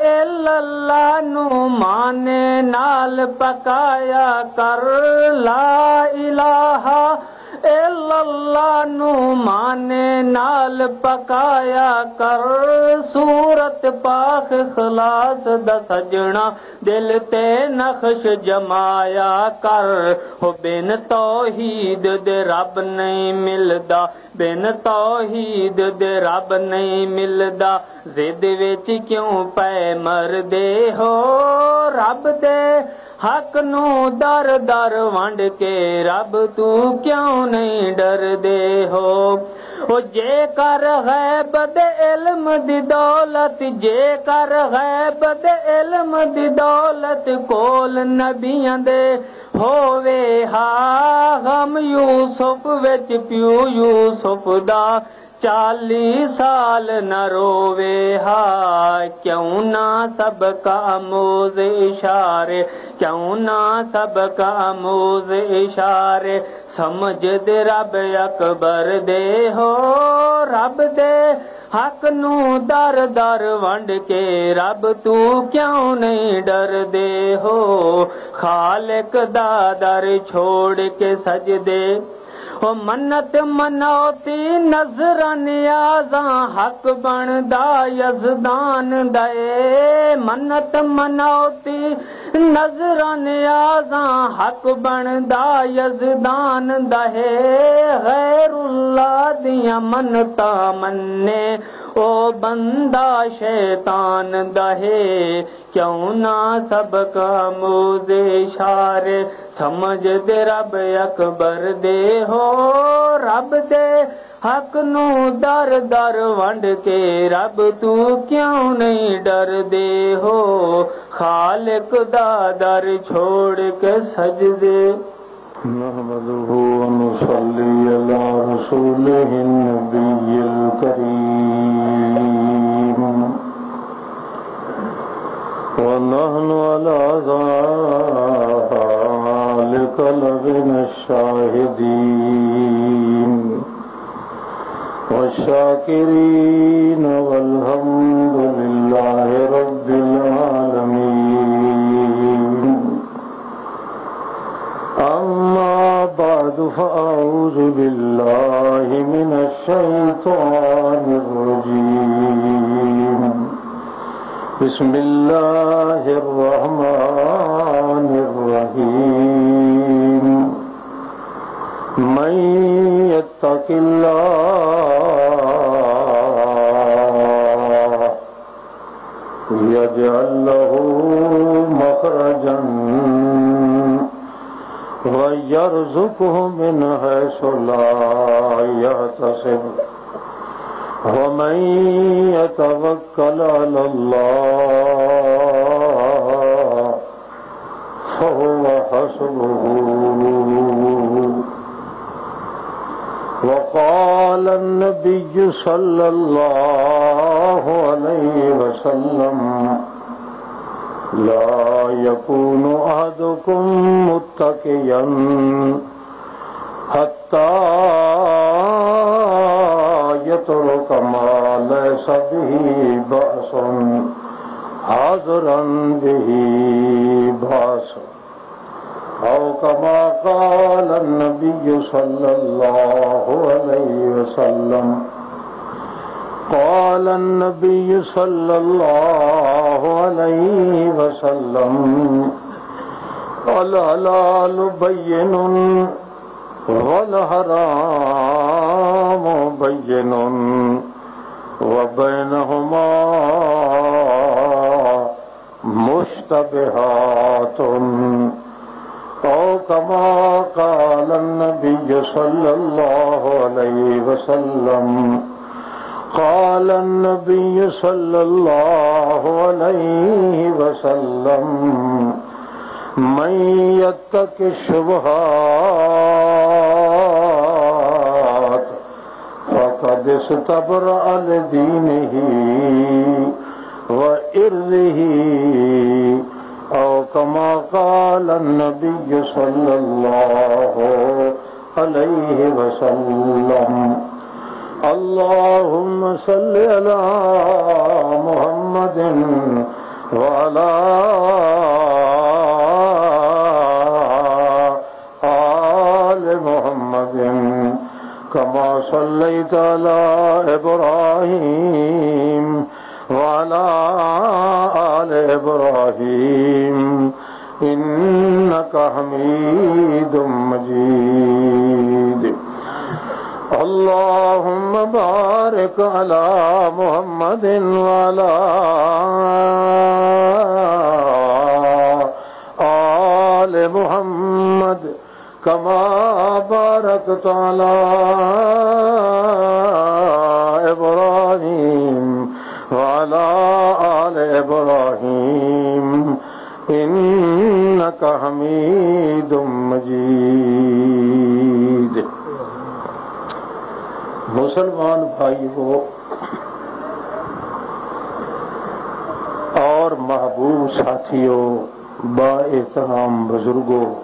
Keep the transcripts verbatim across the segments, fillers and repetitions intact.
الا اللہ نو مانے نال پکایا کر، لا الہ الا اللہ نو مانے نال پکایا کر، سورت پاک اخلاص دا سجنا، دل تے نقش جمایا کر۔ ہو بن توحید دے رب نہیں ملدا، بن توحید دے رب نہیں ملدا، ضد وچ کیوں پے مردے ہو؟ رب دے حق نو در در ونڈ کے، رب تو کیوں نہیں ڈردے ہو؟ او جے کر غیب دے علم دی دولت، جے کر غیب دے علم دی دولت کول نبیاں دے ہووے ہا، غم یوسف وچ پیو یوسف دا چالی سال نہ رووے ہا۔ کیوں نہ سبق آموز اشارے، کیوں نہ سبق آموز اشارے، سمجھ دے رب اکبر دے ہو، رب دے حق نو در در ونڈ کے، رب تو کیوں نہیں ڈردے ہو؟ خالق دا در چھوڑ کے سجدے، او منت منوتی نظر نیازاں، حق بندا یزدان دا اے۔ منت منوتی نظر نیازاں، حق بندا یزدان دا ہے، غیر اللہ دیاں منتاں منے، او بندہ شیطان دا ہے۔ کیوں نہ سبق آموز اشارے، سمجھ دے رب اکبر دے ہو، رب دے حق نو در در ونڈ کے، رب تو کیوں نہیں ڈردے ہو؟ خالق دا در چھوڑ کے سجدے۔ نحمده ونصلي على رسوله النبي الكريم، ونحن على ذلك لمن الشاهدين والشاكرين، والحمد لله رب العالمين. أما بعد، فأعوذ بالله من الشيطان الرجيم. بسم الله الرحمن الرحيم. من يتق الله يجعل له مخرجا ويرزقه من حيث لا يحتسب، ومن يتوكل على الله فهو حسبه. وقال النبي صلى الله عليه وسلم: لا يكون أحدكم متكئا حتى يترك ما ليس به بأس، حاضرا به بأس. أو كما قال النبي صلى الله عليه وسلم. قال النبي صلى الله عليه وسلم: الحلال بين والحرام بين وبينهما مشتبهات، أو كما قال النبي صلى الله عليه وسلم. قال النبي صلى الله عليه وسلم: من يتق الشبهات فقد استبرأ لدينه وعرضه، أو كما قال النبي صلى الله عليه وسلم. اللهم صل على محمد وعلى آل محمد كما صليت على إبراهيم وعلى آل إبراهيم إنك حميد مجيد. اللهم بارك على محمد وعلى آل محمد كما باركت على إبراهيم وعلى آل إبراهيم إنك حميد مجيد. مسلمان بھائیو اور محبوب ساتھیو، با احترام بزرگو،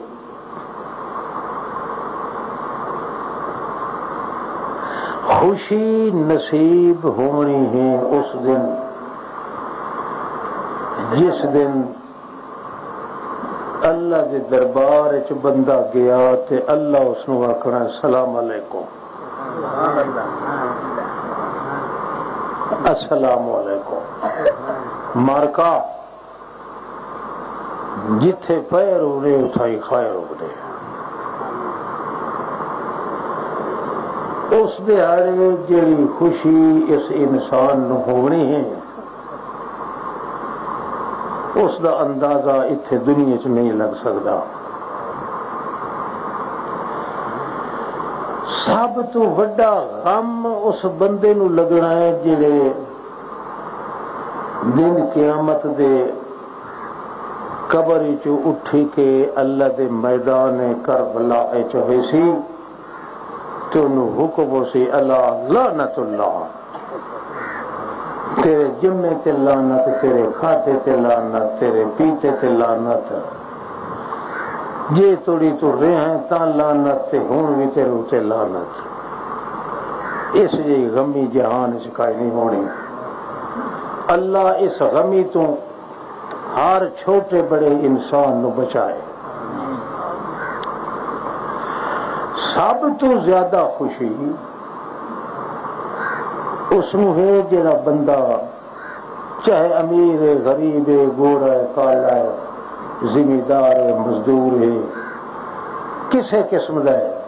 خوشی نصیب ہونی ہے اس دن، جس دن اللہ دے دربار وچ بندہ گیا تے اللہ اس نوں آکھنا، "السلام علیکم، السلام علیکم۔" مارکا جتھے پیر ہونے، اتھائی خیر ہونے۔ اس دیہاڑے جڑی خوشی اس انسان نوں ہونی ہے، اس دا اندازہ اتھے دنیا چ نہیں لگ سکدا۔ سب تو وڈا غم اس بندے نوں لگنا ہے، جڑے دن قیامت دے قبر وچوں اٹھی کے اللہ دے میدان کربلا وچ ہوئے سی، تے انہوں حکم ہو سی، "الا لعنت اللہ، تیرے جمے تے لعنت، تیرے کھاتے تے لعنت، تیرے پیتے تے لعنت، جے توڑی تو رہے ہیں تاں لعنت، تے ہن وی تیرے اُتے لعنت۔" اس جی غمی جہان وچ کائے نہیں ہونی۔ اللہ اس غمی تو ہر چھوٹے بڑے انسان نو بچائے۔ سب تو زیادہ خوشی اس نو ہے جڑا بندہ، چاہے امیر ہے، غریب ہے، گورا ہے، کالا ہے، زمیندار ہے، مزدور ہے، کسے قسم دا ہے،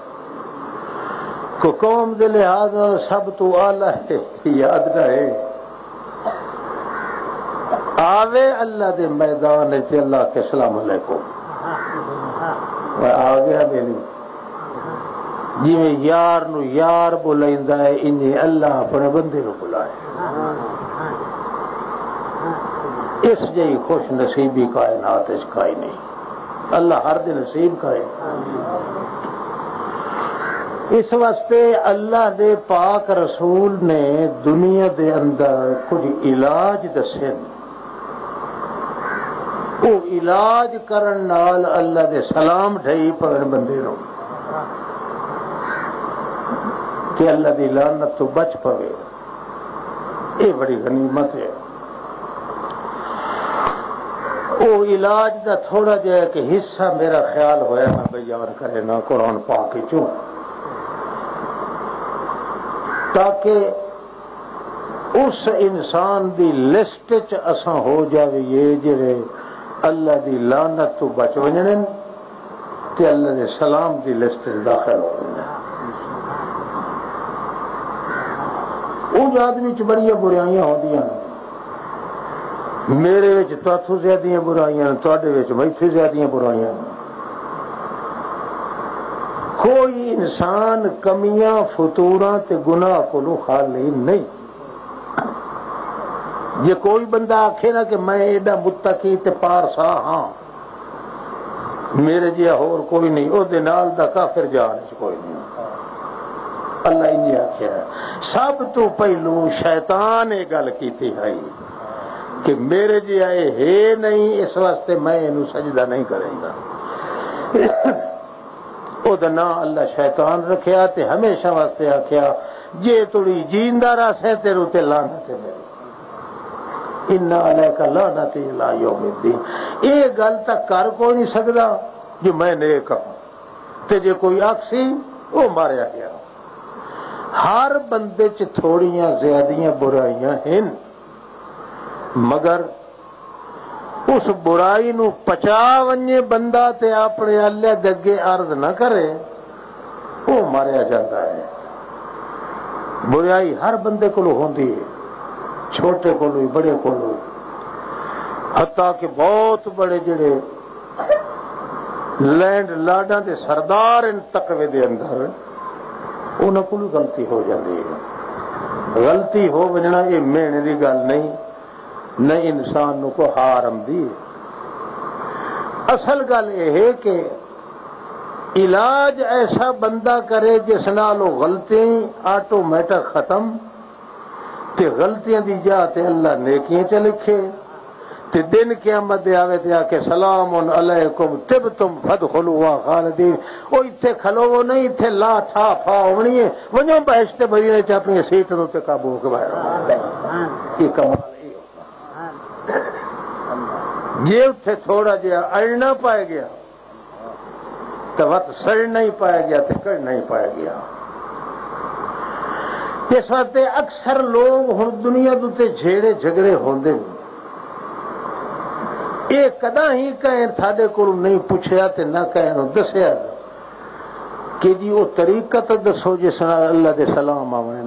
کو قوم دے لحاظ نال سب تو اعلیٰ ہے، یاد نہ ہے۔ آوے اللہ دے میدان وچ، اللہ کے السلام علیکم۔ میں آ گیا میری۔ جویں یار نو یار بلائندا ہے، انہیں اللہ اپنے بندے نو بلائے۔ اس جئی خوش نصیبی کائنات وچ کائے نہیں۔ اللہ ہر دے نصیب کرے۔ اس واسطے اللہ دے پاک رسول نے دنیا دے اندر کچھ علاج دسے نے۔ وہ علاج کرن نال اللہ دے سلام ڈھائی پون بندے نو، کہ اللہ دی لعنت تو بچ پوے۔ یہ بڑی غنیمت ہے۔ او علاج دا تھوڑا جہا ایک حصہ میرا خیال ہویا میں بیان کرے نا قرآن پاک چوں، تاکہ اس انسان دی لسٹ چ اساں ہو جاویے جڑے اللہ دی لعنت تو بچ ونجنے تے اللہ دے سلام دی لسٹ وچ داخل ہو ویندے۔ اونج آدمی چ بڑیاں برائیاں ہوندیاں نے۔ میرے وچ تہاڈے زیادیاں برائیاں نے، تہاڈے وچ میتھے زیادیاں برائیاں نے۔ کوئی انسان کمیاں، فتوراں تے گناہ کولوں خالی نہیں۔ جے کوئی بندہ آکھے نا کہ میں ایڈا متقی تے پارسا ہاں، میرے جیہا ہور کوئی نہیں، او دے نال دا کافر جہان وچ کوئی نہیں۔ اللہ انہی آکھیا ہے۔ سب تو پہلو شیطان یہ گل کیتی ہے کہ میرے جیہا اے ہے نہیں، اس واسطے میں اینوں سجدہ نہیں کریندا۔ او دا نام اللہ شیطان رکھیا تے ہمیشہ واسطے آکھیا، "جے تڑی جیندا رہسے تیرے تے لعنت ہے میری۔" ان علیک لعنتی الی یوم الدین۔ یہ گل تک کر کوئی نہیں سکدا جو میں نیک ہاں، تے جے کوئی آکسی، وہ ماریا گیا۔ ہر بندے چ تھوڑیاں زیادیاں برائیاں ہن، مگر اس برائی نو پچا ونجے بندہ تے اپنے اللہ دے اگے عرض نہ کرے، وہ ماریا جاتا ہے۔ برائی ہر بندے کو ہوندی ہے، چھوٹے کو بھی، بڑے کو بھی، حتیٰ کہ بہت بڑے جڑے لینڈ لارڈاں دے سردار ان تقوی دے اندر، انہاں کولوں غلطی ہو جاندی ہے۔ غلطی ہو وجنا یہ مہنے دی گل نہیں، نہ انسان نو کو ہار آندی ہے۔ اصل گل یہ ہے کہ علاج ایسا بندہ کرے جس نال وہ غلطی آٹومیٹک ختم، تے غلطیاں دی جا تے اللہ نیکیاں چ لکھے۔ تے دن قیامت دے آوے تے آکھے، "سلام علیکم طبتم فادخلوها خالدین۔" او ایتھے کھلوو نہیں، ایتھے لا ٹھا پھا ہونی ہے، ونجو بہشت بھری نے چ اپنی سیٹ نو تے قابو ہو کے باہر آؤ۔ یہ کمال ہے۔ جے اتھے تھوڑا جہا اڑنا پائے گیا، تو وت سڑنا ہی پایا گیا تے کڑنا ہی پایا گیا۔ اس واسطے اکثر لوگ ہن دنیا دے تے جھیڑے جھگڑے ہوندے نے۔ اے کداں ہی کہیں ساڈے کول نہیں پوچھیا تے نہ کہیں نوں دسیا کہ جی، او طریقہ تے دسو جس نال اللہ دے سلام آونے۔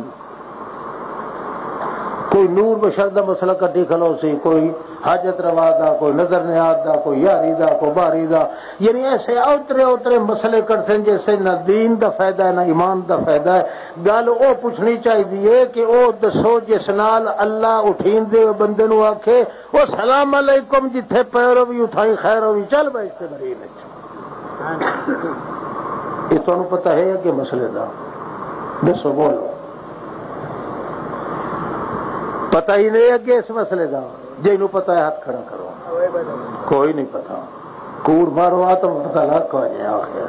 کوئی نور بشر دا مسئلہ کٹی کھلو سی، کوئی حاجت روا دا، کوئی نظر نیاز دا، کوئی یاری دا، کوئی باری دا۔ یعنی ایسے اوترے اوترے مسئلے کٹسن جس سے نہ دین دا فائدہ ہے، نہ ایمان دا فائدہ ہے۔ گل او پوچھنی چاہیے کہ او دسو جس نال اللہ اٹھین دے بندے نو آکھے، "او سلام علیکم، جتھے پیر ہووی اتھائی خیر ہووی، چل بھائی اس تے مری نہیں۔" یہ تانوں پتہ ہے اگے مسئلے دا؟ دسو، بولو۔ پتہ ہی نہیں اگے اس مسئلے دا؟ جنوں پتہ ہے ہاتھ کھڑا کرو۔ کوئی نہیں پتہ۔ کوڑ مارو، آ تو پتہ لگ کو جائے آخر۔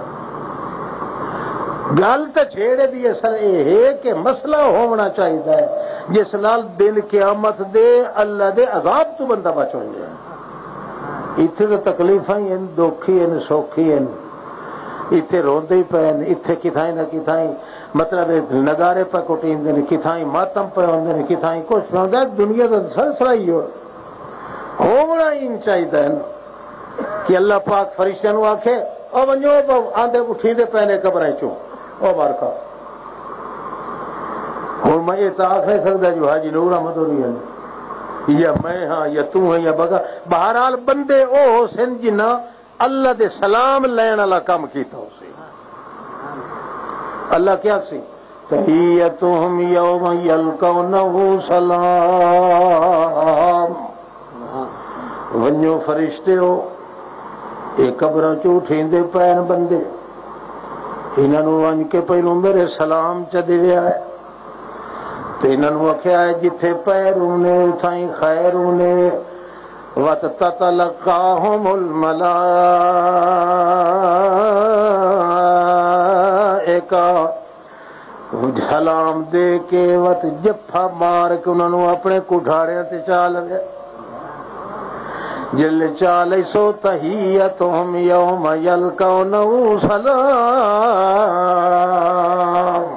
گل تے چھیڑے دی اصل یہ ہے کہ مسئلہ ہونا چاہیے جس نال دن قیامت دے اللہ دے عذاب تو بندہ بچ ہو جائے۔ اتھے تے تکلیفاں ہی ہن، دکھ ہی ہن، سوکھ ہی ہن۔ اتھے روندے ہی پئے ہن، اتھے کتھائیں نہ کتھائیں، مطلب، نگارے پہ کٹیندے نے، کتھائیں ماتم پہ ہوندے نے، کتھائیں کچھ پہ ہوندا ہے۔ دنیا دا سلسلہ ہی ہو، ہونا ہی چاہیدا ہے نا کہ اللہ پاک فرشتیاں نو آکھے، "او ونجو، او آندے اٹھیندے پئے نے قبراں چوں، او بارکا۔" ہن میں یہ تو آکھ نہیں سکدا جو حاجی نور احمد ہوری ہن، یا میں ہاں، یا تو ہیں، یا بگا۔ بہرحال، بندے او ہو سن جنہاں اللہ دے سلام لین والا کام کیتا ہو سی۔ اللہ کیا سی؟ "تحیتہم یوم یلقونہ سلام۔" ونجو فرشتے ہو، یہ قبراں چوں اٹھیندے پئے نے بندے، انہاں نوں ونج کے پہلوں میرے سلام چ دیویا ہے۔ تے انہاں نوں آکھیا ہے، جتھے پیر ہونے، اتھائیں خیر ہونے۔ وَتَتَلَقَّاهُمُ الْمَلَائِكَةُ۔ سلام دے کے وت جفا مار کے انہاں نوں اپنے کٹھاڑیاں تے چا لوے۔ جل چا لئی سو تحیتہم یوم یلقونہ سلام۔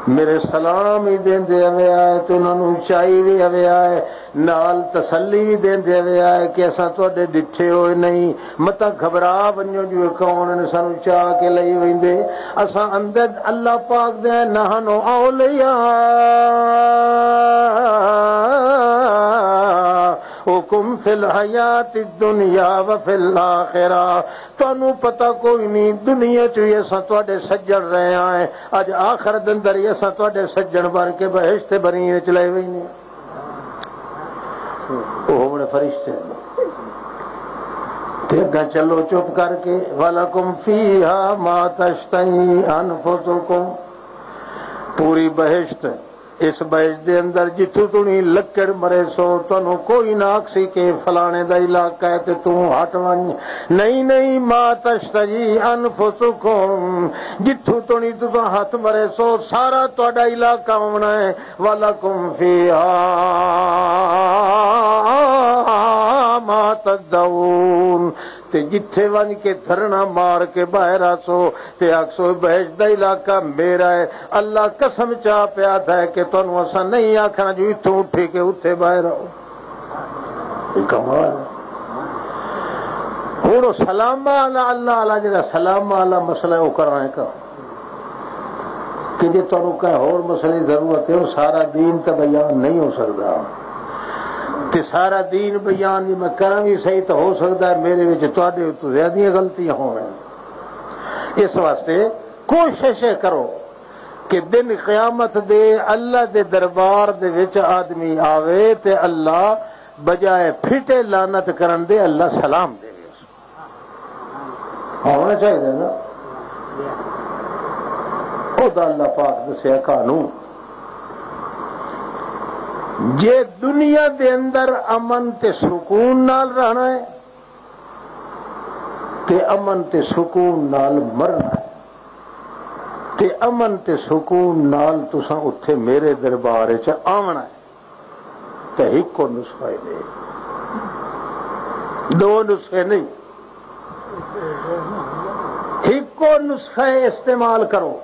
میرے سلام ہی دیندے ہوئے آئے تے انہاں نوں چائی وی ہوئے آئے، نال تسلی وی دیندے ہوئے آئے کہ اساں تہاڈے ڈٹھے ہوئے نہیں، متا گھبرا ونجو جو کون نے سانوں چا کے لئی ویندے۔ اساں اندر اللہ پاک دے، نحن اولیاءکم فی الحیات الدنیا و فی الاخرہ۔ تانوں پتہ کوئی نہیں، دنیا چ وی اساں تہاڈے سجن رہے آئے، اج آخرت اندر ہی اساں تہاڈے سجن بن کے بہشت بری وچ لے وینے۔ او ہونے فرشتے۔ تے اگاں چلو چپ کر کے، وَلَکُمْ فِیہا مَا تَشْتَہِی أَنْفُسُکُمْ۔ پوری بہشت اس بہشت دے اندر جتھوں تنی لکڑ مرے سو، تانوں کوئی نہ آکھسی کہ فلانے دا علاقہ ہے تے توں ہٹ ونج۔ نہیں، نہیں، ما تشتہی انفسکم، جتھوں تنی تساں ہتھ مرے سو، سارا تہاڈا علاقہ ہونا ہے۔ ولکم فیہا ما تدعون، تے جتھے ونج کے دھرنا مار کے باہر آسو، تے آکھسو، "بہشت دا علاقہ میرا ہے۔" اللہ قسم چا پیا تھا کہ تانوں اساں نہیں آکھنا جو اتھوں اٹھی کے اتھے باہر آؤ۔ یہ کمال ہے۔ ہن او سلام والا، اللہ والا جڑا سلام والا مسئلہ ہے، او کراں ہے کہ جے تانوں کہیں ہور مسئلے دی ضرورت ہے، او سارا دین تے بیان نہیں ہو سکدا۔ تے سارا دین بیان جے میں کراں وی صحیح، تاں ہو سکدا ہے میرے وچ تہاڈے اتوں زیادہ غلطیاں ہون۔ اس واسطے کوشش اے کرو کہ دن قیامت دے اللہ دے دربار دے وچ آدمی آوے تے اللہ بجائے پھٹے لعنت کرن دے، اللہ سلام دے۔ ہونا چاہیے نا۔ خدا اللہ پاک دسیا قانون، جے دنیا دے اندر امن تے سکون نال رہنا ہے، تے امن تے سکون نال مرنا ہے، تے امن تے سکون نال تساں اتھے میرے دربار وچ آونا ہے۔ تے ہکو نسخہ ہی نہیں، دو نسخے نہیں، ہکو نسخہ استعمال کرو۔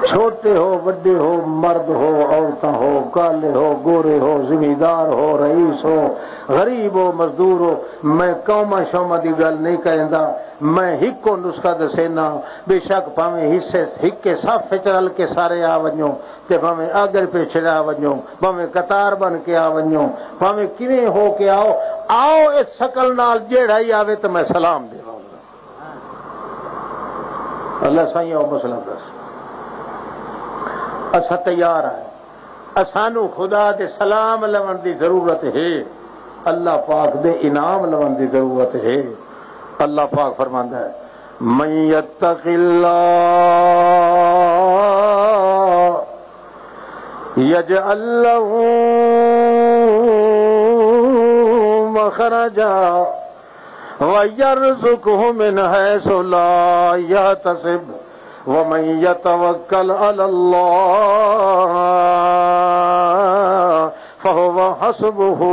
چھوٹے ہو، وڈے ہو، مرد ہو، عورتاں ہو، کالے ہو، گورے ہو، زمیندار ہو، رئیس ہو، غریب ہو، مزدور ہو، میں قوماں شوماں دی گل نہیں کریندا۔ میں ہکو نسخہ دسینا، بے شک پاویں حصے ہکے صف وچ رل کے سارے آ ونجو، تے بھاویں آگر پیچھے آ ونجو، بھاویں قطار بن کے آ ونجو، بھاویں کیویں ہو کے آؤ، آؤ اس شکل نال، جیڑا ہی آوے تے میں سلام دیواں گا۔ اللہ سائیں، او مسئلہ دس، اسا تیار ہیں، اسانو خدا دے سلام لون دی ضرورت ہے، اللہ پاک دے انعام لون دی ضرورت ہے۔ اللہ پاک فرماندا ہے، من یتق اللہ یجعل لہ مخرجا ویرزقہ من حیث لا یحتسب ومن یتوکل علی اللہ فہو حسبہ۔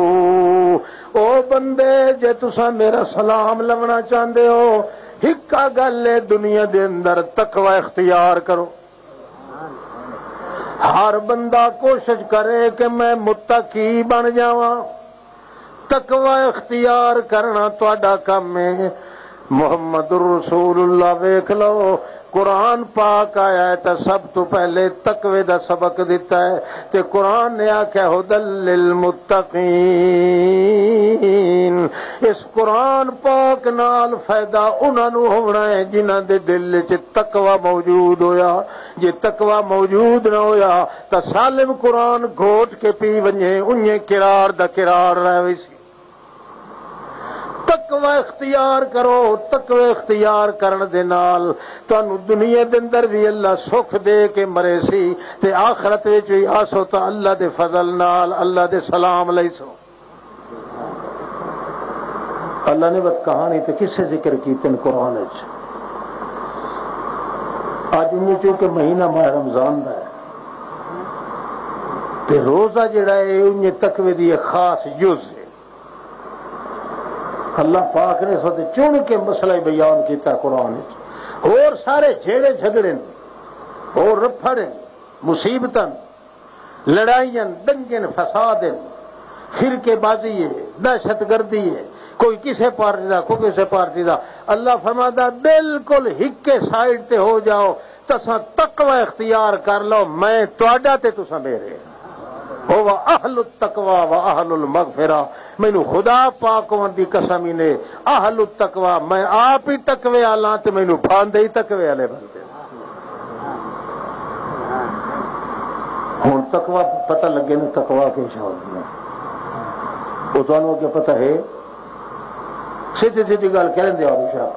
او بندے، جے تساں میرا سلام لونا چاہندے ہو، ہکا گل ہے، دنیا دے اندر تقوی اختیار کرو۔ ہر بندہ کوشش کرے کہ میں متقی بن جاواں۔ تقوی اختیار کرنا تہاڈا کم ہے۔ محمد رسول اللہ ویکھ لو، قرآن پاک آیا ہے تے سب تو پہلے تقوی دا سبق دتا ہے، تے قرآن نے آکھیا، "ھدی للمتقین۔" اس قرآن پاک نال فائدہ انہاں نوں ہونا ہے جنہاں دے دل وچ تقوی موجود ہویا۔ جے تقوی موجود نہ ہویا تاں سالم قرآن گھوٹ کے پی ونجے، انجے قرار دا قرار رہ ویسی۔ تقوی اختیار کرو، تقوی اختیار کرن دے نال تانوں دنیا دے اندر وی اللہ سکھ دے کے مرے سی، تے آخرت وچ وی آسو تاں اللہ دے فضل نال، اللہ دے سلام لئی سو۔ اللہ نے بس کہانی تے قصے ذکر کیتے ہیں قرآن وچ۔ اج انہیں چونکہ مہینہ ماہ رمضان دا ہے، تے روزہ جڑا ہے، انہیں تقوی دی ایک خاص جز ہے۔ اللہ پاک نے سوتے چن کے مسئلہ بیان کیتا قرآن وچ۔ اور سارے جھیڑے جھگڑے نے، اور رفڑ نے، مصیبتاں، لڑائیاں، دنگے نے، فساد نے، فرقے بازی ہے، دہشت گردی ہے، کوئی کسے پارٹی دا، کوئی کسے پارٹی دا۔ اللہ فرماتا، بالکل ہکے سائیڈ تے ہو جاؤ، تساں تقوی اختیار کر لو، میں تہاڈا تے تساں میرے۔ ہو اہل التقوی و اہل المغفرہ، مینوں خدا پاک ہون دی قسم ہی نے، اہل التقوی، میں آپ ہی تقوی والا تے مینوں پاندے ہی تقوی والے بندے۔ ہن تقوی پتہ لگے نا، تقوی کی شاید ہے۔ وہ تانوں اگے پتہ ہے، سیدھی سیدھی گل کہن دے آ بشا،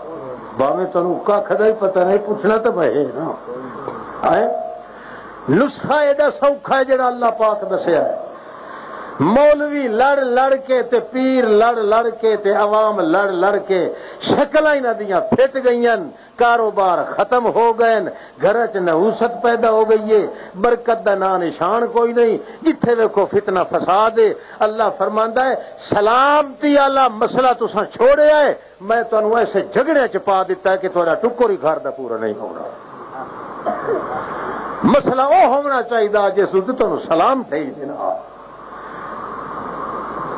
باویں تانوں ککھ دا ہی پتہ نہیں، پوچھنا تو میں ہے نا۔ آئے؟ نسخہ ایڈا سوکھا ہے جڑا اللہ پاک دسیا ہے۔ مولوی لڑ لڑ کے تے پیر لڑ لڑ کے تے عوام لڑ لڑ کے شکلاں انہاں دیاں پھٹ گئیاں، کاروبار ختم ہو گئے، گھر چ نحوست پیدا ہو گئی ہے، برکت دا نام نشان کوئی نہیں۔ جتھے ویکھو فتنہ فساد ہے۔ اللہ فرماندا ہے، سلامتی والا مسئلہ تساں چھوڑیا ہے، میں تانوں ایسے جھگڑیاں چ پا دتا ہے کہ تہاڈا ٹکر ہی گھر دا پورا نہیں ہونا۔ مسئلہ او ہونا چاہیے جس نوں تانوں سلام تھئی دینا۔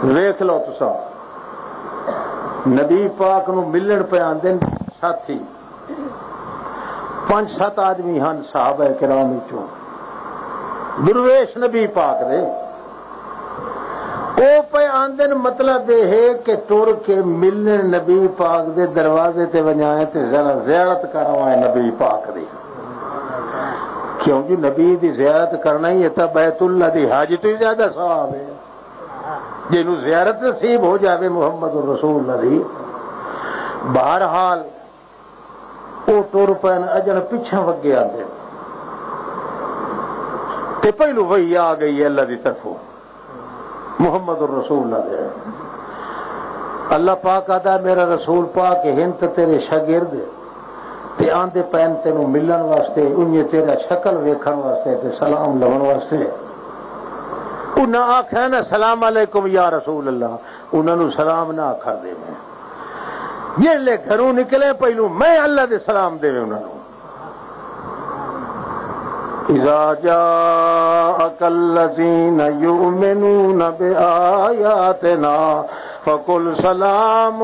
ویکھ لو تساں، نبی پاک نوں ملن پہ آندے نے ساتھی، پنج ست آدمی ہن صحابہ کرام وچوں، درویش نبی پاک دے۔ او پہ آندن، مطلب یہ ہے کہ ٹر کے ملن نبی پاک دے دروازے تے ونجائیں تے ذرا زیارت کروائیں نبی پاک دی۔ کیونکہ نبی دی زیارت کرنا ہی ہے، تا بیت اللہ دی حج تو ہی زیادہ ثواب ہے۔ جنوں زیارت نصیب ہو جاوے محمد الرسول اللہ دی۔ بہرحال، او ٹر پین، اجن پچھے وگے آندے۔ تے پہلو وحی آ گئی ہے اللہ دی طرفوں، محمد الرسول اللہ دے۔ اللہ پاک آدھا، میرا رسول پاک ہند تیرے شاگرد تے آندے پین تینوں ملن واسطے، انہیں تیرا شکل ویکھن واسطے تے سلام لون واسطے۔ انہاں آکھیا نا، "سلام علیکم یا رسول اللہ"، انہاں نوں سلام نہ آکھر دے میں۔ جس لے گھروں نکلے، پہلو میں اللہ دے سلام دے انہاں نوں۔ اذا جاءك الذين يؤمنون بآياتنا فقل سلام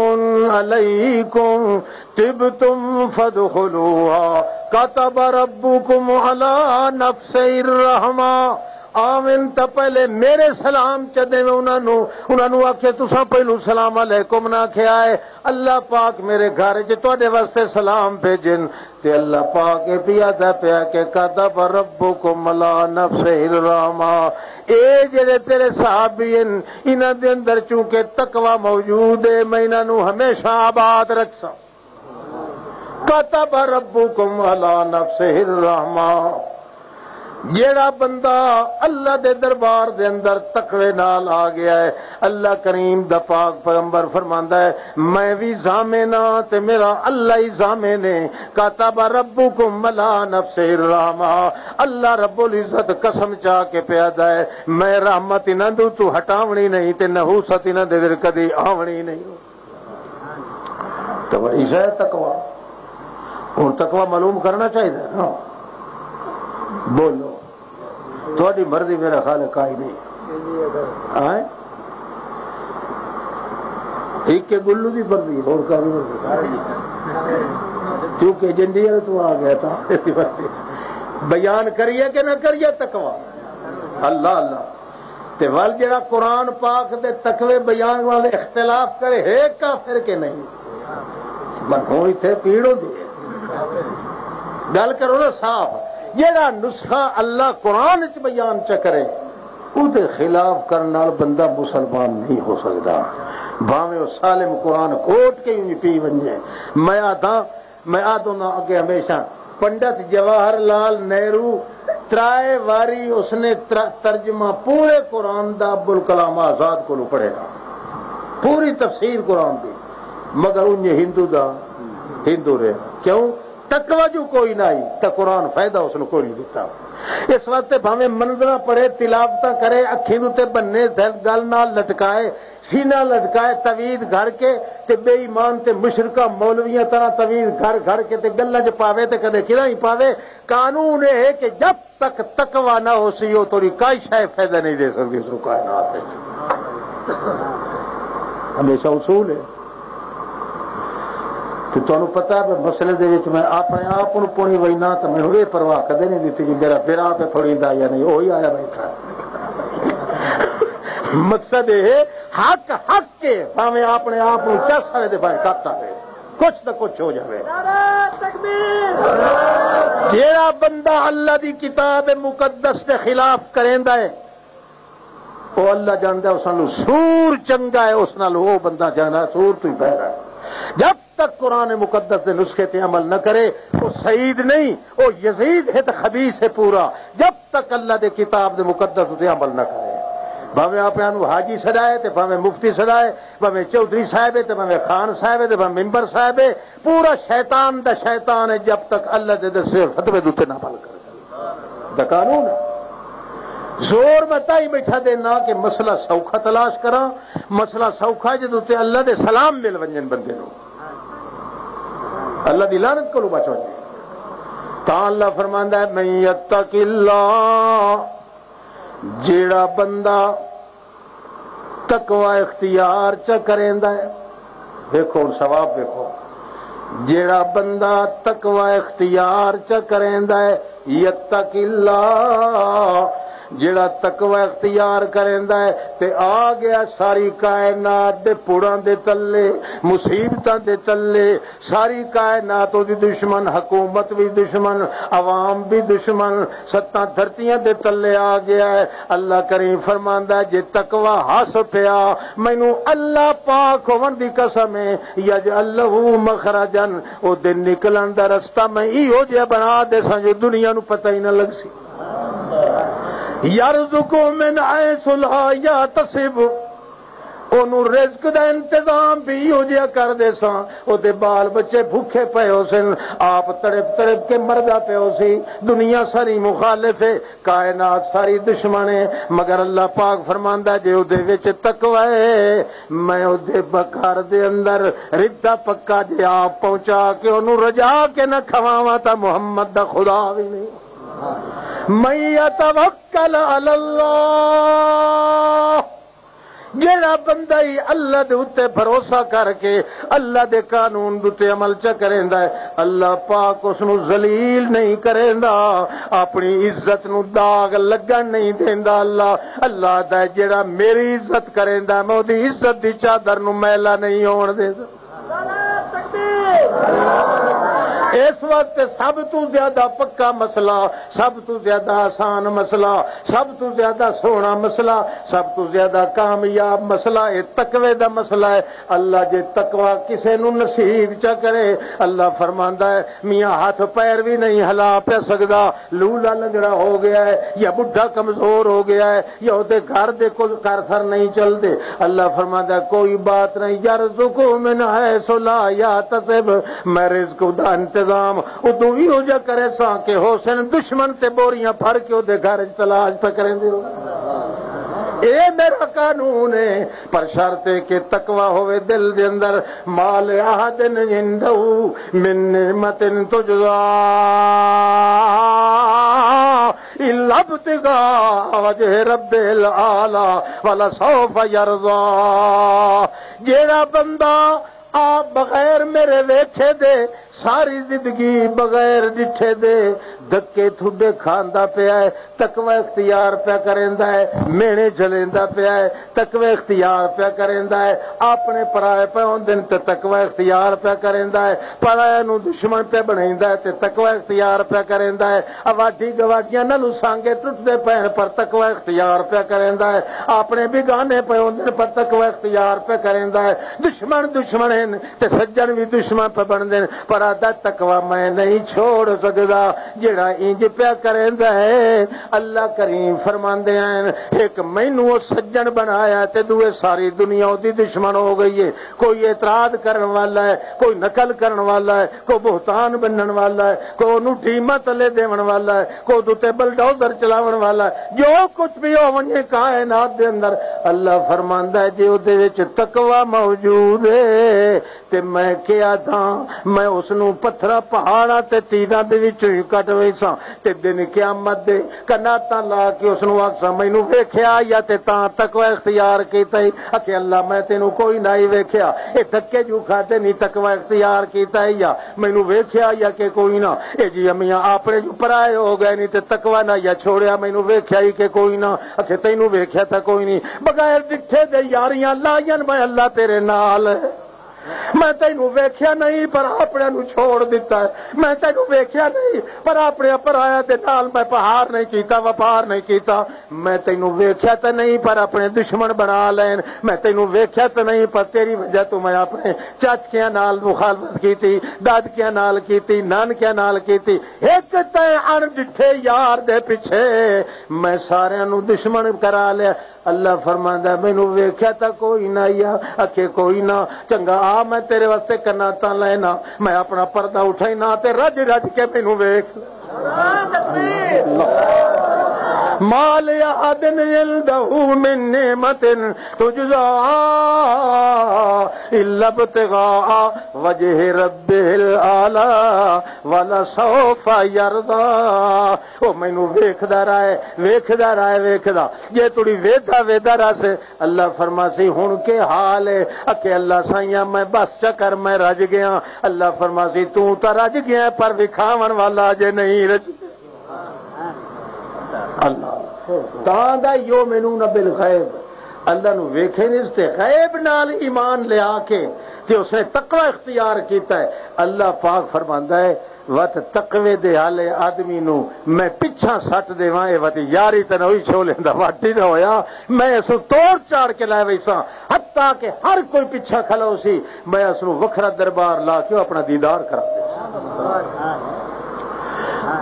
عليكم طبتم فادخلوها كتب ربكم على نفسه الرحمة۔ آون تاں پہلے میرے سلام چ دیویں انہاں نوں، انہاں نوں آکھے، "تساں پہلو سلام علیکم نہ آکھیا ہے، اللہ پاک میرے گھر چ تہاڈے واسطے سلام بھیجن۔" تے اللہ پاک اے پیا دا پیا کہ "كتب ربكم على نفسه الرحمة"، اے جڑے تیرے صحابی ہن، انہاں دے اندر چونکہ تقوی موجود ہے، میں انہاں نوں ہمیشہ آباد رکھساں۔ "كتب ربكم على نفسه الرحمة"۔ جیڑا بندہ اللہ دے دربار دے اندر تقوی نال آ گیا ہے، اللہ کریم دا پاک پیغمبر فرماندا ہے، "میں وی ضامن ہاں تے میرا اللہ ہی ضامن ہے۔" "كتب ربكم على نفسه الرحمة"، اللہ رب العزت قسم چا کے پیادا ہے، "میں رحمت انہاں دو تو ہٹاونی نہیں تے نحوست انہاں دے دل کدی آونی نہیں۔" تو ایسا ہے تقوی۔ اور تقوی معلوم کرنا چاہیے نا۔ بولو، تھوڑی مرضی، میرا خالق کائی نہیں۔ آئے؟ ایک کے گلو دی مرضی، اور کائی مرضی۔ کیونکہ جنڈی والے تو آ گیا تھا۔ بیان کریے کہ نہ کریے تقوی؟ اللہ اللہ۔ تے ول جڑا قرآن پاک دے تقوی بیان والے اختلاف کرے، ہے کافر کے نہیں؟ من ہوں اتھے پیڑ ہوندی ہے۔ گل کرو نا صاف۔ جڑا نسخہ اللہ قرآن وچ بیان چ کرے، او دے خلاف کرن نال بندہ مسلمان نہیں ہو سکدا، بھاویں او سالم قرآن کوٹ کے ہی پی ونجے۔ میں آدھاں، میں آدھوں نہ اگے ہمیشہ، پنڈت جواہر لال نہرو ترائے واری اس نے تر-، ترجمہ پورے قرآن دا ابوالکلام آزاد کولوں پڑھے گا، پوری تفسیر قرآن دی، مگر انہیں ہندو دا ہندو رہے۔ کیوں؟ تقوی جو کوئی نہ آئی، تا قرآن فائدہ اس نے کوئی نہیں دیتا۔ اس واسطے بھاویں منظراں پڑھے، تلاوتاں کرے، اکھیں دے تے بننے، دل گل نال لٹکائے، سینہ لٹکائے، توید گھڑ کے، تے بے ایمان تے مشرکہ مولویاں طرح توید گھڑ گھڑ کے تے گلاں چ پاوے تے کدے کداں ہی پاوے۔ قانون اے ہے کہ جب تک تقوی نہ ہو سی، او تیری کائی شے فائدہ نہیں دے سکدی اس نوں کائنات وچ۔ ہمیشہ اصول ہے۔ تے تانوں پتہ ہے، مسئلے دے وچ میں اپنے آپ نوں پونی وینا، تے مینوں اے پرواہ کدے نہیں دتی کہ میرا پھر آپ پھڑیندا یا نہیں، وہی آیا بیٹھا۔ مقصد اے ہے، حق حق کے، بھاویں اپنے آپ نوں چس آوے تے بھاویں کت آوے، کچھ نہ کچھ ہو جاوے۔ جیڑا بندہ اللہ دی کتاب مقدس دے خلاف کریندا ہے، او اللہ جاندا ہے، اس نال سور چنگا ہے، اس نال او بندہ جاندا ہے، سور تو ہی بہتر ہے۔ جب تک قرآن مقدس دے نسخے تے عمل نہ کرے، او سعید نہیں، او یزید ہے تے خبیث ہے پورا۔ جب تک اللہ دے کتاب دے مقدس اتے عمل نہ کرے، بھاویں آپ انہوں حاجی سدائے تے بھاویں مفتی سدائے، بھاویں چوہدری صاحب ہے تے بھاویں خان صاحب ہے تے بھاویں ممبر صاحب ہے، پورا شیطان دا شیطان ہے، جب تک اللہ دے دسے فتوے دوتے نہ عمل کرے۔ دا قانون ہے۔ زور میں تائی بیٹھا دینا کہ مسئلہ سوکھا تلاش کراں، مسئلہ سوکھا جدوں تے اللہ دے سلام مل ونجن بندے نوں، اللہ دی لعنت کولوں بچ ونجے۔ تاں اللہ فرماندا ہے، "من یتق اللہ"، جیڑا بندہ تقوی اختیار چا کریندا ہے، دیکھو ہن ثواب دیکھو، جیڑا بندہ تقوی اختیار چا کریندا ہے، یتق اللہ، جیڑا تقوی اختیار کریندا ہے تے آ گیا ساری کائنات دے پڑاں دے تلے، مصیبتاں دے تلے، ساری کائنات او دی دشمن، حکومت بھی دشمن، عوام بھی دشمن، ستاں دھرتیاں دے تلے آ گیا ہے۔ اللہ کریم فرماندا ہے، جے تقوی ہس پیا، مینوں اللہ پاک ہون دی قسم ہے، یجعل لہ مخرجا، او دے نکلن دا رستہ میں ایہو جہا بنا دے ساں جو دنیا نو پتہ ہی نہ لگ سی۔ یرزق من حیث لا یحتسب، اونوں رزق دا انتظام بھی ایہو جہا کر دے ساں، او دے بال بچے بھوکے پئے ہو سن، آپ تڑپ تڑپ کے مردا پئے ہو سی۔ دنیا ساری مخالف ہے، کائنات ساری دشمن ہے، مگر اللہ پاک فرماندا جے او دے وچ تقوی ہے، میں او دے گھر دے اندر ردا پکا جے آپ پہنچا کے اونوں رجا کے نہ کھواواں تاں محمد دا خدا بھی نہیں۔ من یتوکل علی اللہ، جڑا بندہ ہی اللہ دے اُتے بھروسہ کر کے اللہ دے قانون دے اُتے عمل چا کریندا ہے، اللہ پاک اس نو ذلیل نہیں کریندا، اپنی عزت نو داغ لگن نہیں دیندا۔ اللہ، اللہ دا ہے، جڑا میری عزت کریندا، میں اودی عزت دی چادر نو میلا نہیں ہون دیندا۔ اس واسطے سب تو زیادہ پکا مسئلہ، سب تو زیادہ آسان مسئلہ، سب تو زیادہ سوہنا مسئلہ، سب تو زیادہ کامیاب مسئلہ، یہ تقوی دا مسئلہ ہے۔ اللہ جے تقوی کسے نو نصیب چا کرے، اللہ فرماندا ہے، میاں ہاتھ پیر بھی نہیں ہلا پیا سکدا، لولا لنگڑا ہو گیا ہے یا بڈھا کمزور ہو گیا ہے، یا اودے گھر دے کچھ کر سر نہیں چلدے۔ اللہ فرماندا ہے، کوئی بات نہیں، یرزق من حیث لا یحتسب، میں رزق دا انتظام ادوں ایہو جا کرے ساں کہ حسین دشمن تے بوریاں پھڑ کے اودے گھر وچ تلاش پہ کریں دے ہو۔ اے میرا قانون ہے، پر شرط ہے کہ تقوی ہوے دل دے اندر۔ ما لأحد عنده من نعمة تجزى إلا ابتغاء وجه ربه الأعلى ولسوف يرضى۔ جیڑا بندہ آپ بغیر میرے ویکھے دے ساری زندگی بغیر ڈٹھے دے دھکے تھڈے کھاندا پیا ہے، تقوی اختیار پیا کریندا ہے، مینے جلیندا پیا ہے، تقوی اختیار پیا کریندا ہے، اپنے پرائے پہ ہوندے نے تے تقوی اختیار پیا کریندا ہے، پرائے نو دشمن پہ بنیندا ہے تے تقوی اختیار پیا کریندا ہے۔ آبادی گواڈیاں نالوں سانگے ٹوٹدے پین پر تقوی اختیار پیا کریندا ہے، اپنے بیگانے پہ ہوندے نے پر تقوی اختیار پیا کریندا ہے۔ دشمن دشمن ہیں تے سجن بھی دشمن پہ بندے نے، پر آدھا تقوی میں نہیں چھوڑ سکدا۔ جڑا انج پیا کریندا ہے، اللہ کریم فرماندے ہیں، ایک مینوں او سجن بنایا تے دوئے ساری دنیا اودی دشمن ہو گئی ہے۔ کوئی اعتراض کرن والا ہے، کوئی نقل کرن والا ہے، کوئی بہتان بنن والا ہے، کوئی اونوں ٹیماں تلے دیون والا ہے، کوئی اودے تے بلڈوزر چلاون والا ہے۔ جو کچھ بھی ہو ونجے کائنات دے اندر، اللہ فرماندا ہے جے اودے وچ تقوی موجود ہے، تے میں کیا تھا، میں اس نوں پتھراں پہاڑاں تے تیراں دے وچوں ہی کٹ ویساں، تے دن قیامت دے کناتاں لا کے اس نوں آکھساں، "مینوں ویکھیا یا تے تاں تقوی اختیار کیتا ہی؟" آکھے، "اللہ، میں تینوں کوئی نہ ہی ویکھیا۔" اے دھکے جو کھاتے نہیں، تقوی اختیار کیتا ہی یا مینوں ویکھیا یا کہ کوئی نہ؟ اے جی امیاں اپنے جو پرائے ہو گئے نہیں تے تقوی نہ یا چھوڑیا، مینوں ویکھیا ہی کہ کوئی نہ؟ آکھے، "تینوں ویکھیا تھا کوئی نہیں۔" بغیر ڈٹھے دے یاریاں لائیاں، میں اللہ تیرے نال۔ میں تینوں ویکھیا نہیں، پر اپنے نوں چھوڑ دتا ہے۔ میں تینوں ویکھیا نہیں، پر اپنے پرایا دے نال میں پہار نہیں کیتا، وپار نہیں کیتا۔ میں تینوں ویکھیا تے نہیں، پر اپنے دشمن بنا لین۔ میں تینوں ویکھیا تے نہیں، پر تیری وجہ تو میں اپنے چاچکیاں نال مخالفت کیتی، دادکیاں نال کیتی، نانکیاں نال کیتی۔ ایک تے اݨ ڈٹھے یار دے پیچھے میں ساریاں نوں دشمن کرا لیا۔ اللہ فرماندا ہے، "مینوں ویکھیا تاں کوئی نہ آیا۔" اکھے، "کوئی نہ، چنگا، آ میں تیرے واسطے کناں تاں لینا، میں اپنا پردہ اٹھائنا تے رج رج کے مینوں ویکھ۔" ما لأحد عنده من نعمة تجزى إلا ابتغاء وجه ربه الأعلى ولسوف يرضى۔ او مینوں ویکھدا رہے، ویکھدا رہے، ویکھدا۔ جے تڑی ویدا ویدا رس، اللہ فرماسی، "ہن کے حال ہے؟" اکھے، "اللہ سائیاں، میں بس چکر میں رج گیا۔" اللہ فرماسی، "توں تاں رج گیا، پر وکھاون والا اجے نہیں رج۔" اللہ۔ تاں دا یؤمنون بالغیب، اللہ نو ویکھے نہیں تے غیب نال ایمان لیا کے تے اس نے تقوی اختیار کیتا ہے۔ اللہ پاک فرماندا ہے، وت تقوی دے حالے آدمی نو میں پچھاں سٹ دیواں، اے وت یاری تے نہ ہوئی، چھولے دا وٹ ہی نہ ہویا۔ میں اس نو توڑ چاڑ کے لے ویساں، حتیٰ کہ ہر کوئی پچھاں کھلو سی، میں اس نو وکھرا دربار لا کے اپنا دیدار کرا دے۔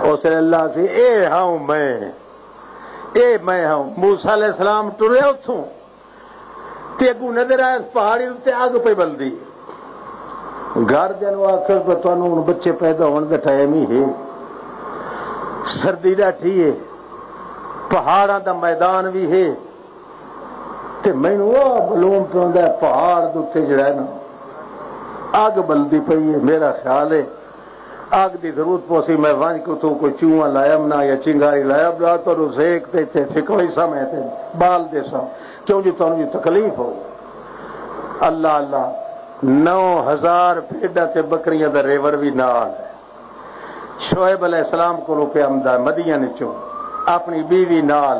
اس نے اللہ سی، "اے ہاں میں، اے میں ہاں۔" موسیٰ علیہ السلام ٹریا اتھوں، تے اگوں نظر آیا، پہاڑی اُتے اگ پئی بلدی۔ گھر دے نوں آکھیا کہ تانوں ہن بچے پیدا ہون دا ٹائم ہی ہے، سردی ڈاٹھی ہے، پہاڑاں دا میدان بھی ہے، تے مینوں او معلوم پوندا ہے، پہاڑ دے اُتے جڑا ہے نا، اگ بلدی پئی ہے۔ میرا خیال ہے، اگ دی ضرورت پوسی، میں ونج کے اتھوں کوئی چوہا لایا منا یا چنگاری لایا، بلا تہاڈو سیک تے اتھے سکوئی سمے تے بال دے سا، کیوں جو تہانوں جو تکلیف ہو۔ اللہ اللہ، نو ہزار بھیڈاں تے بکریاں دا ریوڑ بھی نال ہے۔ شعیب علیہ السلام کو روپے آمدہ مدین چوں، اپنی بیوی نال،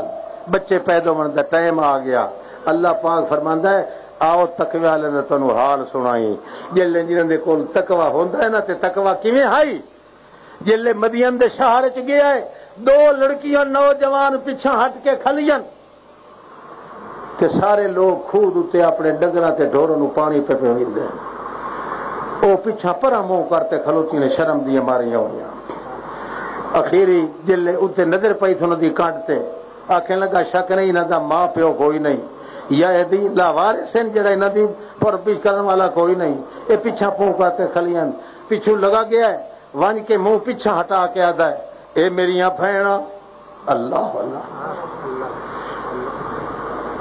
بچے پیدا ہونے دا ٹائم آ گیا۔ اللہ پاک فرماندا ہے، آؤ تقوی والے دا تانوں حال سنائی۔ جلے جنہاں دے کول تقوی ہوندا ہے نا، تے تقوی کیویں ہائی؟ جلے مدین دے شہر وچ گیا ہے، دو لڑکیاں نوجوان پچھاں ہٹ کے کھلیاں، تے سارے لوگ کھود اتے اپنے ڈنگراں تے ڈھوراں نوں پانی پہ پیوندے۔ او پچھاں پرا منہ کر تے کھلوتی نے، شرم دیاں ماریاں ہویاں۔ اخیری جلے اتے نظر پئی تھوں دی کانڈ تے، آکھن لگا، "شک نہیں، انہاں دا ماں پیو کوئی نہیں، یا اے دی لاوارث ہیں، جڑا انہاں دی پرورش کرن والا کوئی نہیں۔" اے پچھاں پھونکا تے کھلیاں، پچھوں لگا گیا ہے، ونج کے منہ پچھاں ہٹا کے آدا ہے، "اے میریاں بھیناں۔" اللہ اللہ۔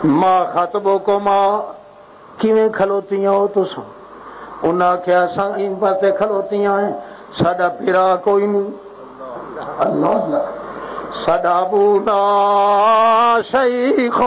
"ما خطبکما، کیویں کھلوتیاں ہو تساں؟" انہاں آکھیا، "اساں ان پاسے کھلوتیاں ہیں، ساڈا بھرا کوئی نہیں۔" اللہ اللہ۔ "ساڈا ابونا شیخ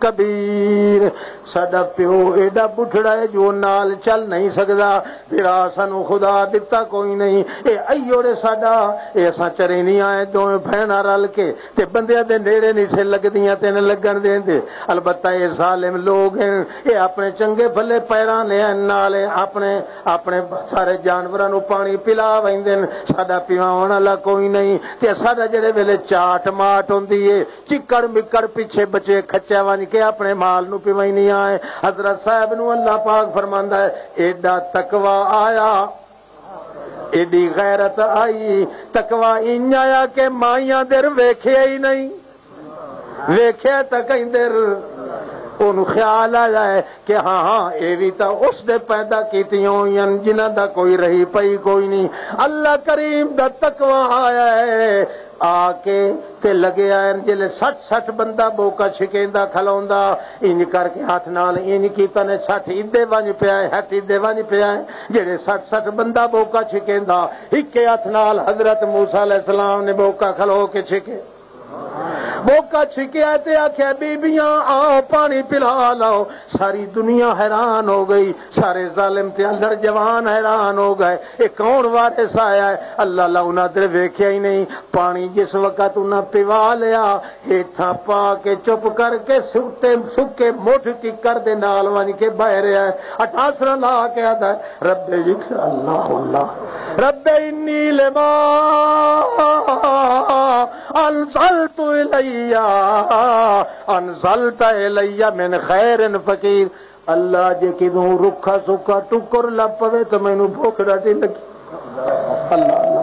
کبیر، ساڈا پیو ایڈا بڈھڑا ہے جو نال چل نہیں سکدا، بھرا سانو خدا دتا کوئی نہیں، اے ایوڑے ساڈا، اے اساں چرینیاں ہیں، دوویں بہناں رل کے تے بندیاں دے نیڑے نہیں سے لگدیاں تے نہ لگن دیندے۔ البتہ اے ظالم لوگ ہیں، اے اپنے چنگے بھلے پیراں نے نال اے اپنے، اپنے سارے جانوراں نوں پانی پلا ویندے نے۔ ساڈا پیواون والا کوئی نہیں، تے ساڈا جڑے ویلے چاٹ ماٹ ہوندی اے، چکڑ مکڑ پیچھے بچے کھچے ونج کے اپنے مال نوں پیویندیاں اے۔" حضرت صاحب نوں اللہ پاک فرماندا ہے، ایڈا تقوی آیا، ایڈی غیرت آئی، تقوی انج آیا کہ مائیاں در ویکھیا ہی نہیں۔ ویکھیا تاں کہیں در اونوں خیال آیا ہے کہ ہاں، ہاں، اے وی تاں اس دے پیدا کیتیاں ہوئیاں جنہاں دا کوئی رہی پئی کوئی نہیں۔ اللہ کریم دا تقوی آیا ہے، آ کے تے لگے آئے نے، جلے سٹھ سٹھ بندہ بوکا چھکیندا کھلوندا، انج کر کے ہاتھ نال انج کیتا نے، سٹھ ادے ونج پیا ہے، ہٹ ادے ونج پیا ہے۔ جڑے سٹھ سٹھ بندہ بوکا چھکیندا، اکے ہاتھ نال حضرت موسیٰ علیہ السلام نے بوکا کھلو کے چھکے۔ موقع چھکیا تے آکھیا، "بیبیاں، آؤ، پانی پلا لو۔" ساری دنیا حیران ہو گئی، سارے ظالم تے الڑ جوان حیران ہو گئے، "اے کون وارث آیا ہے؟" اللہ لعنت دے ویکھیا ہی نہیں۔ پانی جس وقت انہاں پیوا لیا، ہیٹھاں پا کے چپ کر کے سکے، سکے مٹھ ککڑ دے نال ونج کے بہ رہیا ہے۔ اٹاسرا لا کے آدا ہے، "رب جی، اللہ، اللہ، رب انی لما انزلت الی، انزلت الی من خیر فقیر۔" اللہ، جے کدوں رکھا سکا ٹکر لب پوے تو مینوں بھوک ڈاڈی لگی۔ اللہ، اللہ۔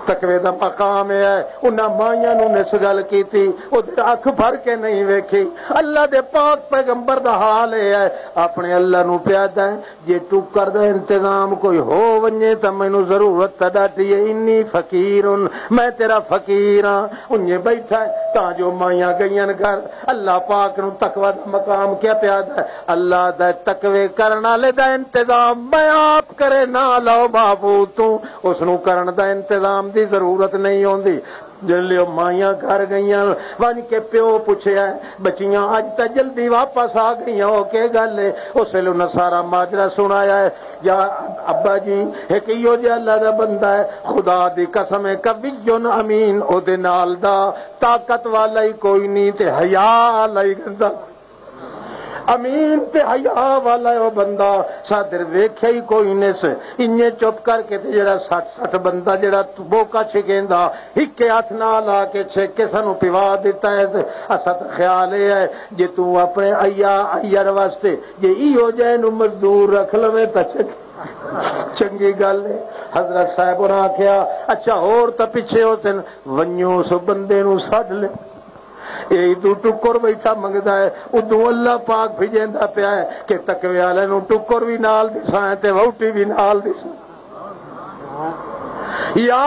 تقوی دا مقام اے ہے۔ انہاں مائیاں نوں نس گل کیتی، او تے اکھ بھر کے نہیں ویکھی۔ اللہ دے پاک پیغمبر دا حال اے ہے، اپنے اللہ نوں پیادا ہے، "جے ٹکر دا انتظام کوئی ہو ونجے تاں مینوں ضرورت تاں ڈاڈی ہے، انی فقیرن، میں تیرا فقیر ہاں۔" انجے بیٹھا ہے تاں جو مائیاں گئیاں گھر، اللہ پاک نوں تقوی دا مقام کیا پیادا ہے؟ اللہ دا تقوی کرن والے دا انتظام میں آپ کرے نہ لو محفوظ تو، اس نوں کرن دا انتظام دی ضرورت نہیں ہوندی۔ جلے او مائیاں گھر گئیاں، ونج کے پیو پچھیا ہے، "بچیاں، اج تاں جلدی واپس آ گئیاں ہو، کے گل ہے؟" اس ویلے انہاں سارا ماجرا سنایا ہے، "یا ابا جی، ایک ایہو جہا اللہ دا بندہ ہے، خدا دی قسم ہے، قوی امین، او دے نال دا طاقت والا ہی کوئی نہیں تے حیا والا ہی گندا۔" امین تے حیا والا او بندہ، سادر ویکھیا ہی کوئی نس۔ انجے چپ کر کے تے جڑا سٹھ سٹھ بندہ جڑا بوکا چھکیندا، ہکے ہتھ نال آ کے چھک کے سانوں پیوا دتا ہے۔ تے اساں تے خیال اے ہے، جے توں اپنے ایا ایڑ واسطے جے ایہو جے نوں مزدور رکھ لوے تاں چنگ-، چنگی گل ہے۔ حضرت صاحب ہوراں آکھیا، "اچھا، ہور تاں پچھے ہو تن، ونجو اس بندے نوں سڈ لے۔" اے ادو ٹکر بیٹھا منگدا ہے، ادو اللہ پاک بھجیندا پیا ہے کہ تقوی والے نوں ٹکر بھی نال دساں تے وہوٹی بھی نال دساں۔ یا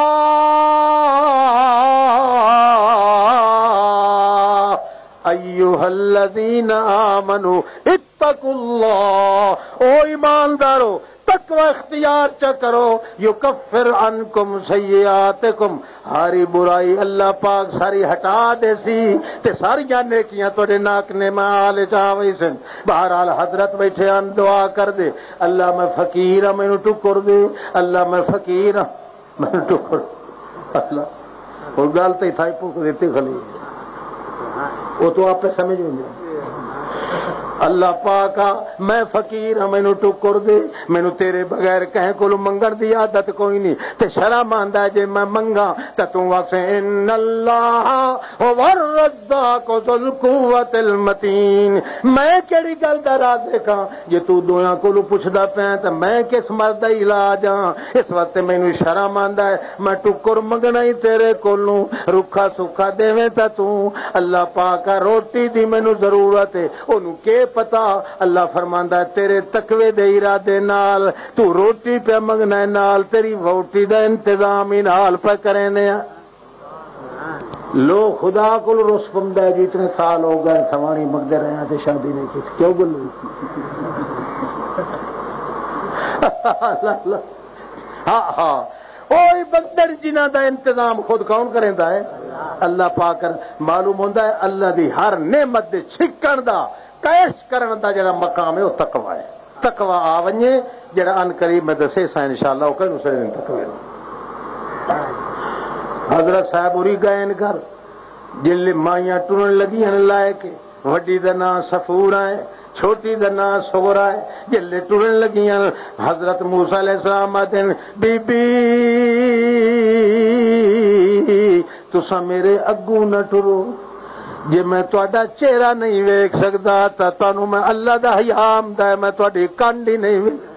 ایھا الذین آمنوا اتقوا اللہ، او ایماندارو، تقوی اختیار چا کرو، یکفر عنکم سیئاتکم، ہاری برائی اللہ پاک ساری ہٹا دے سی، تے ساریاں نیکیاں تہاڈے ناک نے مال چ آ ویسن۔ بہرحال حضرت بیٹھے ہن، دعا کر دے، "اللہ میں فقیر ہاں، مینوں ٹکر دے، اللہ میں فقیر ہاں، مینوں ٹکر۔" اللہ، اور گل تے تھائی پک دیتی خلی، وہ تو آپ سمجھ نہیں۔ اللہ پاک آ، میں فقیر ہاں، مینوں ٹکر دے، مینوں تیرے بغیر کہیں کولوں منگن دی عادت کوئی نہیں۔ تے شرم آندا ہے جے میں منگاں تے توں آکھیں، "ان اللہ هو الرزاق ذو القوۃ المتین۔" میں کیڑی گل دا رازق ہاں جے تو دویاں کولوں پچھدا پیا تے میں کس مرض دا علاج ہاں؟ اس واسطے مینوں شرم آندا ہے، میں ٹکر منگنا ہی تیرے کولوں، رکھا سکھا دیویں تے توں۔ اللہ پاک آ، روٹی دی مینوں ضرورت ہے، اونوں کی پتہ؟ اللہ فرماندا ہے، تیرے تقوی دے ارادے نال تو روٹی پیا منگنا ہے، نال تیری ووٹی دا انتظام ہی نال پہ کرینے آ۔ لوگ خدا کول رس پوندا ہے جی، اتنے سال ہو گئے، سوانی منگدے رہے ہیں تے شادی نہیں کی، کیوں بولو؟ اللہ، اللہ۔ ہاں، ہاں۔ اوہی بندے نے جنہاں دا انتظام خود کون کریندا ہے؟ اللہ پاک کر۔ معلوم ہوندا ہے، اللہ دی ہر نعمت دے چھکن دا، کیش کرن دا جڑا مقام ہے، وہ تقوی ہے۔ تقوی آ ونجے، جڑا ان قریب میں دسے سا انشاءاللہ، وہ کہیں سرے دن تقوی ہے۔ حضرت صاحب ہوری گئے ان گھر، جلے مائیاں ٹرن لگی ہن لائے کے، وڈی دا ناں صفورہ ہے، چھوٹی دا ناں صغرا ہے۔ جلے ٹرن لگیاں، حضرت موسیٰ علیہ السلام آدن، "بی بی، تساں میرے اگوں نہ ٹرو، جے میں تہاڈا چہرہ نہیں ویکھ سکدا تاں تانوں میں اللہ دا حیا آمدا ہے، میں تہاڈی کنڈ ہی نہیں ویکھ۔"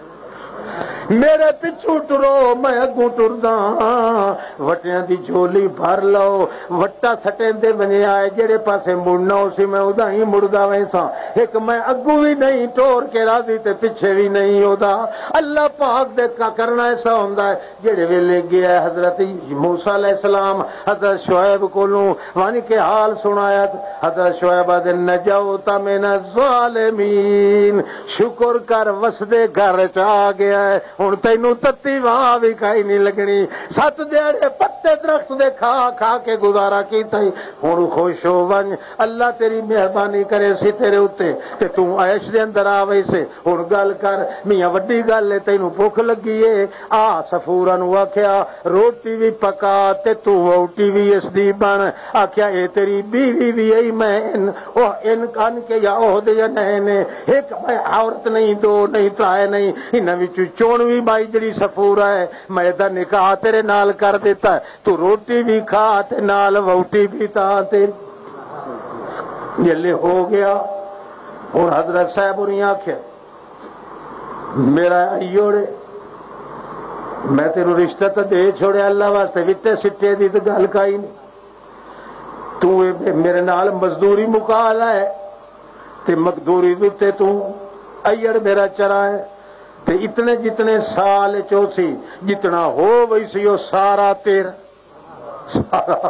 میرے پچھوں ٹرو، میں اگوں ٹردا ہاں۔ وٹیاں دی جھولی بھر لو، وٹا سٹیندے ونجے آئے، جڑے پاسے مڑنا ہو سی، میں ادا ہی مڑدا ویساں۔ ایک میں اگوں بھی نہیں ٹور کے راضی تے پچھے بھی نہیں ہودا۔ اللہ پاک دے کا کرنا ایسا ہوندا ہے۔ جڑے ویلے گیا حضرت موسیٰ علیہ السلام، حضرت شعیب کولوں ون کے حال سنایا، حضرت شعیب آدھے، "نجوت من الظالمین، شکر کر وسدے گھر چ آ گیا ہے۔" ہن تینوں تتی واہ بھی کائی نہیں لگنی۔ ست دیہڑے پتے درخت دے کھا کھا کے گزارا کیتا ہی۔ ہن خوش ہو ونج، اللہ تیری مہربانی کرے سی تیرے اُتے، تے توں عیش دے اندر آ ویسے۔ ہن گل کر، میاں وڈی گل ہے، تینوں بھکھ لگی ہے۔ آ سفورا نوں آکھیا، روٹی وی پکا تے توں وہوٹی وی اس دی بن۔ آکھیا، اے تیری بیوی وی ائی، میں ان، او ان کن کے یا عہدے یا نئے نے، ایک میں عورت نہیں، دو نہیں، ترائے نہیں، انہاں وچوں چون وی بائی جڑی سفورا ہے، میں دا نکاح تیرے نال کر دیتا ہے، تو روٹی وی کھا تے نال وہوٹی وی تاں تے۔ جلے ہو گیا، ہن حضرت صاحب ہوریاں آکھیا، میرا ایوڑے، میں تینوں رشتہ تو دے چھوڑیا اللہ واسطے، وٹے سٹے دی تو گل کائی نہیں۔ تو اے میرے نال مزدوری مکا لے، تے مزدوری دے تے تو ایڑ میرا چرا ہے، تے اتنے جتنے سال چوسی، جتنا ہو وئی سی، او سارا تیرا۔ سارا،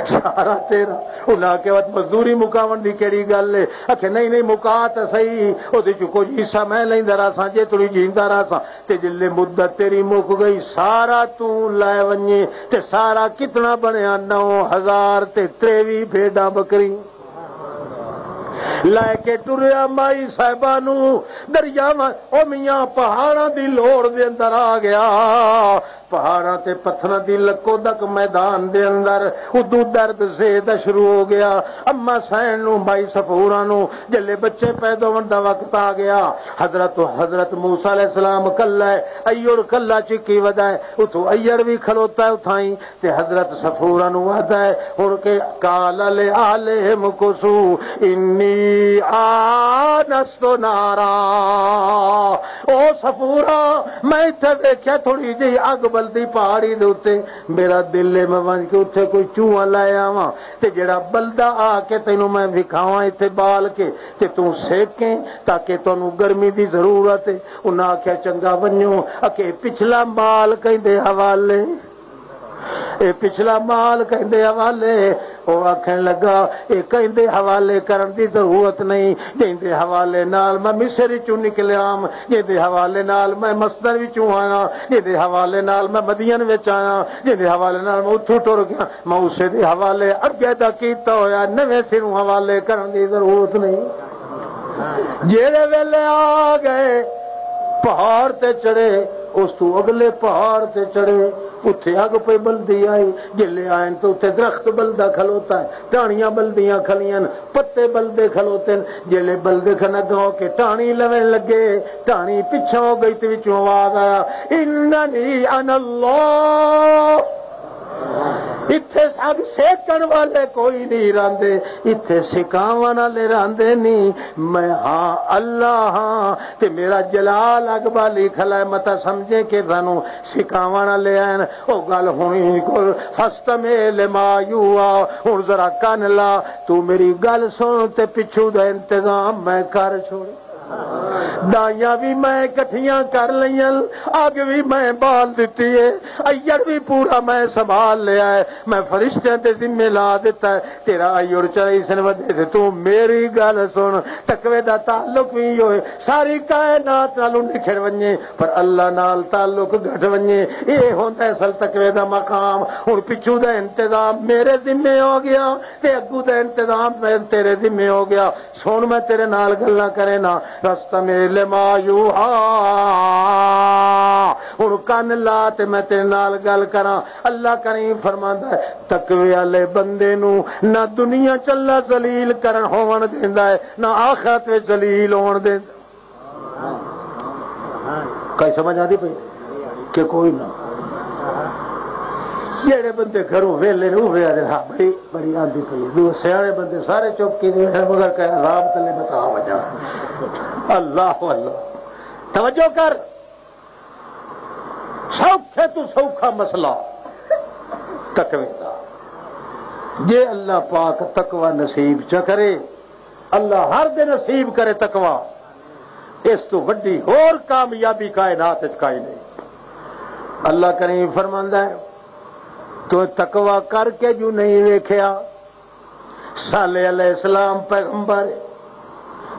سارا تیرا۔ انہاں آکھیا، "وت مزدوری مکاون دی کیڑی گل ہے؟" آکھیا، "نہیں، نہیں، مکا تے صحیح، اودے چ کچھ حصہ میں لیندا رہساں، جے تھوڑی جیندا رہساں، تے جلے مدت تیری مک گئی، سارا تو لے ونجے، تے سارا کتنا بنیا؟ نو ہزار تے تریوی بھیڈاں بکری۔" لے کے ٹریا مائی صاحبہ نو دریاواں، او میاں، پہاڑاں دی لوڑ دے اندر آ گیا۔ پہاڑاں تے پتھراں دی لکو دک میدان دے اندر ادو درد زیدہ شروع ہو گیا۔ اما سین نو، مائی صفورہ نو، جلے بچے پیدا ہون دا وقت آ گیا۔ حضرت، حضرت موسیٰ علیہ السلام کلا ہے، ایڑ کلا چکی ودا ہے، اتھوں ایڑ بھی کھلوتا ہے اتھائیں۔ تے حضرت صفورہ نو وعدہ ہے، ہن کہ قال لآلہم کثوا انی آنست نارا۔ او صفورہ، میں ایتھے ویکھیا تھوڑی جہی اگ بلدی پہاڑی دے اُتے، میرا دل ہے میں ونج کے اُتے کوئی چوہا لے آواں، تے جڑا بلدا آ کے تینوں میں وکھاواں ایتھے بال کے، تے توں سیکیں، تاکہ تانوں گرمی دی ضرورت ہے۔ انہاں آکھیا، "چنگا، ونجو۔" اکے پچھلا مال کہیں دے حوالے، اے پچھلا مال کہیں دے حوالے۔ او آکھن لگا، "اے کہیں دے حوالے کرن دی ضرورت نہیں، جیں دے حوالے نال میں مصر چوں نکلیام، جیں دے حوالے نال میں مصدر وچوں آیا، جیں دے حوالے نال میں مدین وچ آیا، جیں دے حوالے نال میں اتھوں ٹر گیا، میں اسے دے حوالے اگے دا کیتا ہویا، نویں سروں حوالے کرن دی ضرورت نہیں۔" جیڑے ویلے آ گئے، پہاڑ تے چڑھے، اس تو اگلے پہاڑ تے چڑھے، اتھے اگ پہ بلدی آئی۔ جلے آئن تو اتھے درخت بلدا کھلوتا ہے، ٹاہنیاں بلدیاں کھلیاں، پتے بلدے کھلوتے ہیں۔ جلے بلدے کھن اگاں ہو کے ٹاہنی لوین لگے، ٹاہنی پچھوں ہو گئی تے وچوں آواز آیا، "اننی انا اللہ۔" اتھے سب سیکن والے کوئی نہیں راندے، اتھے سکاون والے راندے نہیں۔ میں ہاں، اللہ ہاں، تے میرا جلال اگ بالی کھلا ہے، متا سمجھے کہ سانو سکاون والے ہیں۔ او گل ہونی کول، فاستمع لما یوحی، ہن ذرا کن لا، تو میری گل سن تے پچھو دا انتظام میں کر چھوڑ۔ دائیاں وی میں اکٹھیاں کر لئیاں، اگ وی میں بال دتی ہے، ایڑ وی پورا میں سنبھال لیا ہے، میں فرشتیاں دے ذمے لا دتا ہے۔ تیرا ایڑ چڑھائی سن ودے تے تو میری گل سن، تقوی دا تعلق وی ہوئے، ساری کائنات نال نکھڑ ونجے، پر اللہ نال تعلق گھٹ ونجے۔ اے ہوندا ہے اصل تقوی دا مقام۔ ہن پچھو دا انتظام میرے ذمے ہو گیا، تے اگو دا انتظام میں تیرے ذمے ہو گیا۔ سن، میں تیرے نال گلاں کرے نا، فاستمع لما یوحی۔ ہن کن لا تے میں تیرے نال گل کراں۔ اللہ کریم فرماندا ہے، تقوی والے بندے نو نہ دنیا چ اللہ ذلیل کرن ہون دیندا ہے، نہ آخرت وچ ذلیل ہون دیندا۔ کئی سمجھ آندی پئی کہ کوئی نہ؟ جڑے بندے گھروں ویلے نے، وہ ویلے، ہاں، بڑی، بڑی آندی پئی۔ دو سیانے بندے سارے چپ کیتے ہیں، مگر کہ عذاب تلے بتا وجہ۔ اللہ، اللہ۔ توجہ کر، سوکھے تو سوکھا مسئلہ تقوی دا۔ جے اللہ پاک تقوی نصیب چ کرے، اللہ ہر دے نصیب کرے تقوی، اس تو وڈی ہور کامیابی کائنات وچ کائی نہیں۔ اللہ کریم فرماندا ہے، تو تقوی کر کے جو نہیں ویکھیا۔ صالح علیہ السلام پیغمبر،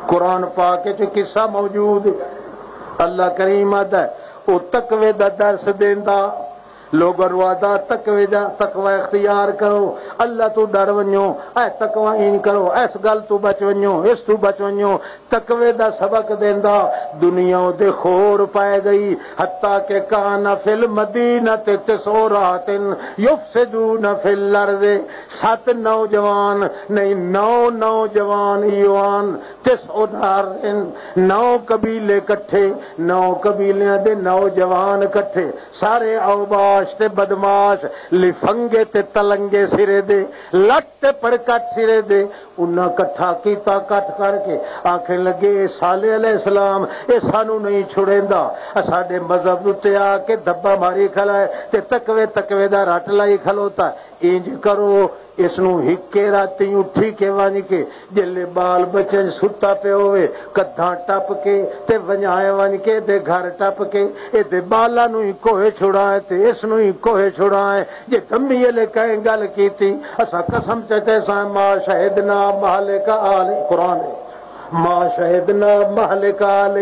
قرآن پاک وچ قصہ موجود ہے۔ اللہ کریم آتا ہے، او تقوی دا درس دیندا۔ لوگاں نوں آہدا تقوی دا، تقوی اختیار کرو، اللہ تو ڈر ونجو، اے تقوی این کرو، اس گل تو بچ ونجو، اس تو بچ ونجو۔ تقوی دا سبق دیندا، دنیا دے خور پائے گئی، حتیٰ کہ کان فی المدینہ تسع رہطن یفسدون فی الارض۔ ست نوجوان نہیں، نو نوجوان ایوان، تسع نار، نو قبیلے کٹھے، نو قبیلیاں دے نوجوان کٹھے، سارے اوباش تے بدماش، لفنگے تے تلنگے سرے دے، لٹ تے پرکٹ سرے دے، انہاں کٹھا کیتا، کٹ کر کے آکھن لگے، "اے صالح علیہ السلام، اے سانو نہیں چھڑیندا، اے ساڈے مذہب اُتے آ کے دھبا ماری کھڑا ہے تے تقوی، تقوی دا رٹ لائی کھلوتا ہے۔ انج کرو، اس نوں ہکے راتی اٹھی کے ونج کے، جلے بال بچے ستا پیا ہوئے، کدھاں ٹپ کے تے ونجائے ونج کے تے گھر ٹپ کے، اے دے بالاں نوں ہی کوہے چھڑائے تے اس نوں ہی کوہے چھڑائے۔" جے دمی لے کہیں گل کیتی، اساں قسم چٹے سائیں، "ما شہدنا مہلک آل"، قرآن ہے، "ما شہدنا مہلک آل"،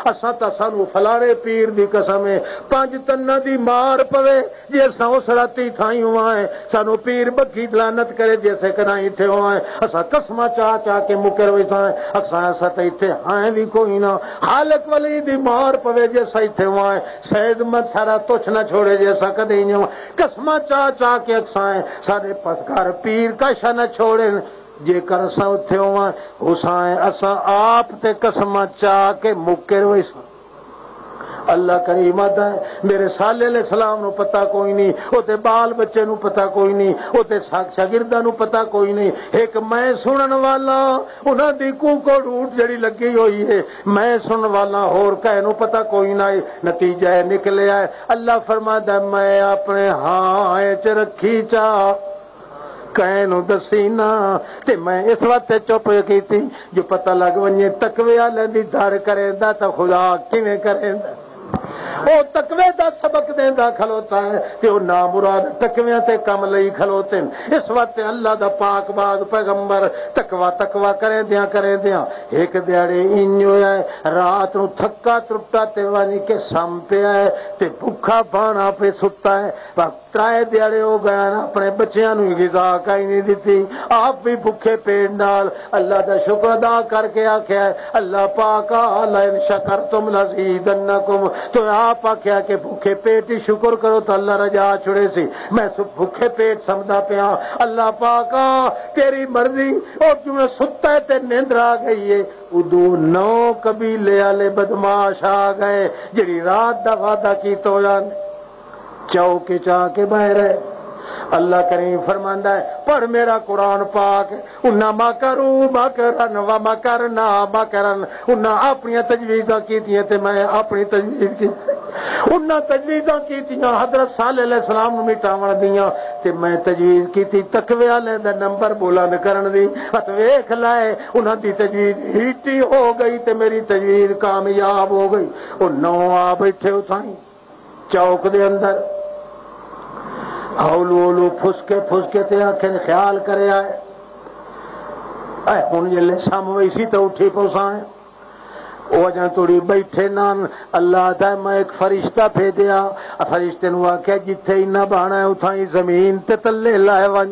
اساں تاں، سانو فلانے پیر دی قسم ہے، پنج تناں دی مار پوے، جے اساں اس راتی تھائی ہوا ہے، سانو پیر بگھی لعنت کرے، جے اسے کداں ایتھے ہوا ہے، اساں قسماں چا چا کے مکر ویساں ہے، اساں، اساں تاں ایتھے ہائیں وی کوئی نہ، خالق ولی دی مار پوے، جے اساں ایتھے ہوا ہے، سید مت سارا تچھ نہ چھوڑے، جے اساں کدے ہی نہیں ہوا۔ قسماں چا چا کے اکساں، سارے پس گھر پیر کا شا نہ چھوڑن۔ جے کر اساں اتھے ہواں، حسین، اساں آپ تے قسماں چا کے مکر ویساں۔ اللہ کریم آدھا ہے، میرے صالح علیہ السلام نو پتہ کوئی نہیں، او تے بال بچے نو پتہ کوئی نہیں، او تے سا-، شاگرداں نو پتہ کوئی نہیں۔ ایک میں سنن والا، انہاں دی کوکڑ اوٹ جڑی لگی ہوئی ہے، میں سنن والا، ہور کہے نو پتہ کوئی نہ ہے۔ نتیجہ اے نکلیا ہے، اللہ فرماندا ہے، میں اپنے ہاں اچ رکھی چا، کہے نو دسی نہ، تے میں اس واسطے چپ کیتی جو پتہ لگ ونجے تقوی والے دی دھڑ کریندا تاں خدا کیویں کریندا۔ او تقوی دا سبق دیندا کھلوتا ہے تے او نامراد تقویاں تے کم لئی کھلوتے ہیں۔ اس واسطے اللہ دا پاک باز پیغمبر تقوی، تقوی کریندیاں، کریندیاں ایک دیہاڑے انج ہویا ہے، رات نو تھکا ترٹا تے ونج کے سم پیا ہے تے بھکھا بانا پہ ستا ہے۔ پر ترائے دیہاڑے ہو گئے نا، اپنے بچیاں نو غذا کائی نہیں دتی، آپ بھی بھکھے پیٹ نال اللہ دا شکر ادا کر کے آکھیا ہے، "اللہ پاک، لئن شکرتم لزیدنکم۔" تو آپ آکھیا کہ بھکھے پیٹ ہی شکر کرو تو اللہ رجا چھڑے سی۔ میں سو بھکھے پیٹ سمدا پیا، اللہ پاک، تیری مرضی۔ اور جویں ستا ہے تے نیندر آ گئی ہے، ادو نو قبیلے والے بدماش آ گئے، جڑی رات دا وعدہ کیتا ہویا نے۔ چوک چا کے باہر ہے۔ اللہ کریم فرماندا ہے، پڑھ میرا قرآن پاک، "انہاں مکروا مکرا و مکرنا مکرا"، انہاں اپنیاں تجویزاں کیتیاں تے میں اپنی تجویز کیتی۔ انہاں تجویزاں کیتیاں حضرت صالح علیہ السلام نوں مٹاون دیاں، تے میں تجویز کیتی تقوی والے دا نمبر بلند کرن دی۔ ات ویکھ لائے، انہاں دی تجویز ہیٹی ہو گئی تے میری تجویز کامیاب ہو گئی۔ او نو آ بیٹھے اتھائی چوک دے اندر، ہولو ہولو پھسکے پھسکے تے آکھن، "خیال کرے آئے، اے ہن جلے سم ویسی تے اٹھی پوساں۔" او اجاں توڑی بیٹھے نان۔ اللہ دا، میں ایک فرشتہ بھیجیا، فرشتے نو آکھیا، "جتھے انہاں بانا ہے، اتھاں ہی زمین تے تلے لائے ونج۔"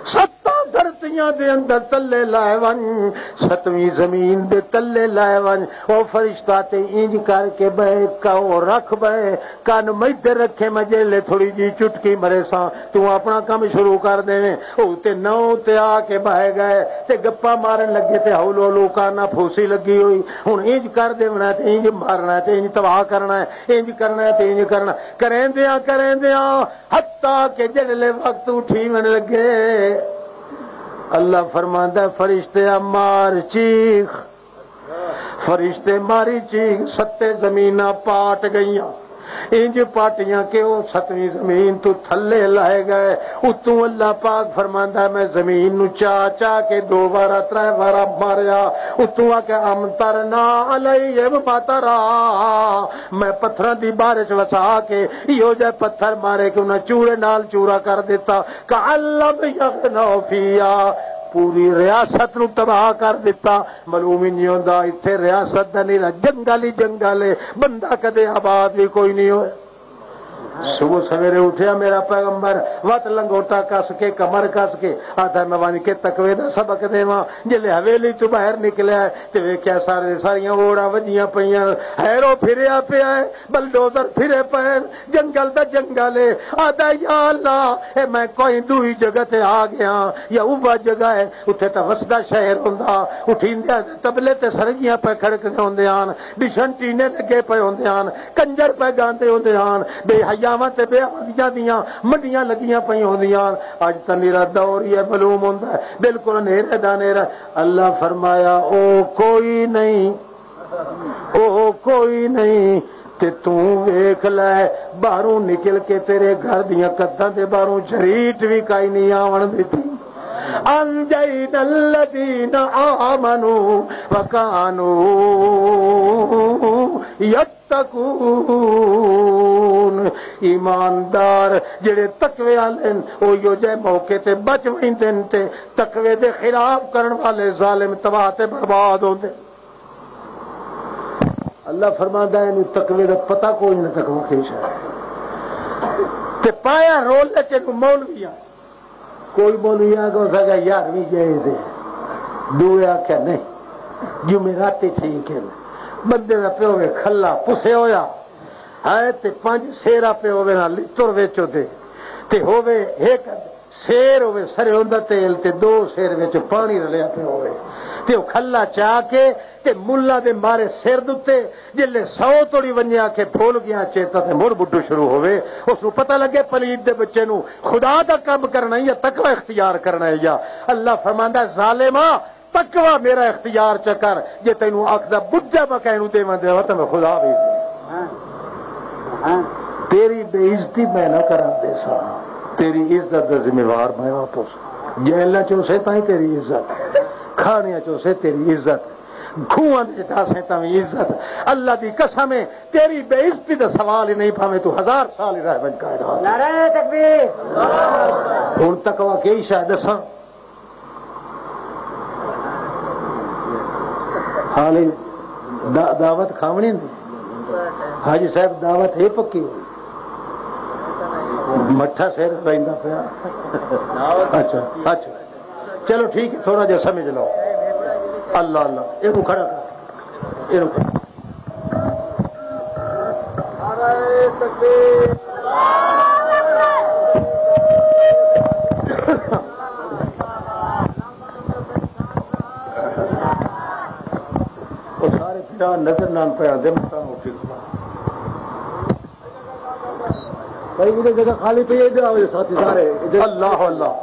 ستاں دھرتیاں دے اندر تلے لائے ون، ستویں زمین دے تلے لائے ون۔ او فرشتہ تے انج کر کے بہے، کاو رکھ بہے، کن میدے رکھے، میں جیلے تھوڑی جی چٹکی مرے ساں، تو اپنا کم شروع کر دیویں۔ او تے نو تے آ کے بہے گئے تے گپا مارن لگے تے ہولو ہولو کانا پھوسی لگی ہوئی۔ ہن انج کر دیونا تے انج مارنا تے انج تباہ کرنا ہے، انج کرنا ہے تے انج کرنا۔ کریندیاں کریندیاں حتیٰ کہ جڑلے وقت اٹھی من لگے، اللہ فرماندا ہے، "فرشتے مار چیخ۔" فرشتے ماری چیخ، ستے زمیناں پاٹ گئیاں، انج پاٹیاں کہ او ستویں زمین تو تھلے لائے گئے۔ اتوں اللہ پاک فرماندا ہے، "میں زمین نو چا چا کے دو وارا، ترے وارا ماریا۔" اتوں آ کے، "امطرنا علیہم مطرا۔" میں پتھراں دی بارش وسا کے ایہو جے پتھر مارے کہ انہاں چورے نال چورا کر دیتا۔ کأن لم یغنوا فیہا، پوری ریاست نو تباہ کر دتا۔ معلوم ہی نہیں ہوندا، اتھے ریاست دا نیرا جنگل ہی جنگل ہے، بندہ کدے آباد بھی کوئی نہیں ہویا۔ صبح سویرے اٹھیا میرا پیغمبر، وت لنگوٹا کس کے، کمر کس کے، آتا میں ونج کے تقوی دا سبق دیواں۔ جلے حویلی تو باہر نکلیا ہے تے ویکھیا سارے ساریاں اوڑاں وجیاں پیاں، ہیرو پھریا پیا ہے، بلڈوزر پھرے پئے، جنگل دا جنگل ہے۔ آدا، یا اللہ، اے میں کوئی دوئی جگہ تے آ گیا، یا اوہ جگہ ہے، اتھے تاں وسدا شہر ہوندا، اٹھیندے تبلے تے سرگیاں پہ کھڑکدے ہوندے ہن، ڈشن ٹینے لگے پئے ہوندے ہن، کنجر پہ گاندے ہوندے ہن، بے حیاواں تے بے عقلیاں دیاں منڈیاں لگیاں پئیاں ہوندیاں ہن۔ اج تاں نیرا دور ہی ہے، معلوم ہوندا ہے، بالکل ہنیرے دا ہنیرا۔ اللہ فرمایا، او کوئی نہیں، او کوئی نہیں، تے توں ویکھ لے، باہروں نکل کے تیرے گھر دیاں کداں دے باہروں جھریٹ وی کائی نہیں آون دتی۔ انجینا الذین آمنوا وکانوا یتقون۔ ایماندار جڑے تقوی والے ہن، او یو جے موقع تے بچ ویندے ہن، تے تقوی دے خلاف کرن والے ظالم تباہ تے برباد ہوندے۔ اللہ فرماندا ہے، اینوں تقوی دا پتہ کوئی نہ، تقوی کی شے ہے۔ تے پایا رول تے اینوں مولوی آ، کوئی مولوی آ کے اساں کہا، یارویں جائز ہے۔ دوئے آکھیا نہیں، جمعراتی ٹھیک ہے۔ بندے دا پیو وے کھلا پسے ہویا ہے تے پنج سیر آپے ہووے نا لتر وچ ہوندے، تے ہووے ایک سیر ہووے سرے ہوندا تیل تے دو سیر وچ پانی رلیا پیا ہووے، تے او کھلا چا کے تے ملا دے مارے سر دتے، جلے سو توڑی ونجے آکھے بھول گیا چیتا تے مڑ بڈو شروع ہووے، اس نو پتہ لگے پلید دے بچے نو خدا دا کم کرنا ہے یا تقوی اختیار کرنا ہے۔ یا اللہ فرماندا ہے، ظالما، تقوی میرا اختیار چا کر، جے تینوں اکھ دا بجا بکا اینوں دیواں دے وطن خدا بھی دے۔ تیری بے عزتی میں نہ کرن دے سا، تیری عزت دا ذمہ وار میں آپ اس۔ جیلاں چ اسے تائیں تیری عزت، کھانیاں چ اسے تیری عزت، کھواں دے جاسے تاں وی عزت۔ اللہ دی قسم ہے، تیری بے عزتی دا سوال ہی نہیں، بھاویں تو ہزار سال ہی رہ بن کائنات۔ نعرہ تکبیر۔ ہن تقوی کئی شے دساں؟ حال دا-، دعوت کھاونی نہیں۔ حاجی صاحب، دعوت ہے پکی ہوئی۔ مٹھا سر رہندا پیا۔ اچھا، اچھا۔ چلو ٹھیک ہے، تھوڑا جہا سمجھ لو۔ اللہ، اللہ، یہ کھڑا کر، یہ کھڑا۔ وہ سارے پھرا نظر نہ پہ آتے، مکان اٹھی کھڑا۔ بھائی، ادھر جگہ خالی پئی ہے، ادھر آؤ ساتھی سارے، ادھر۔ اللہ، اللہ۔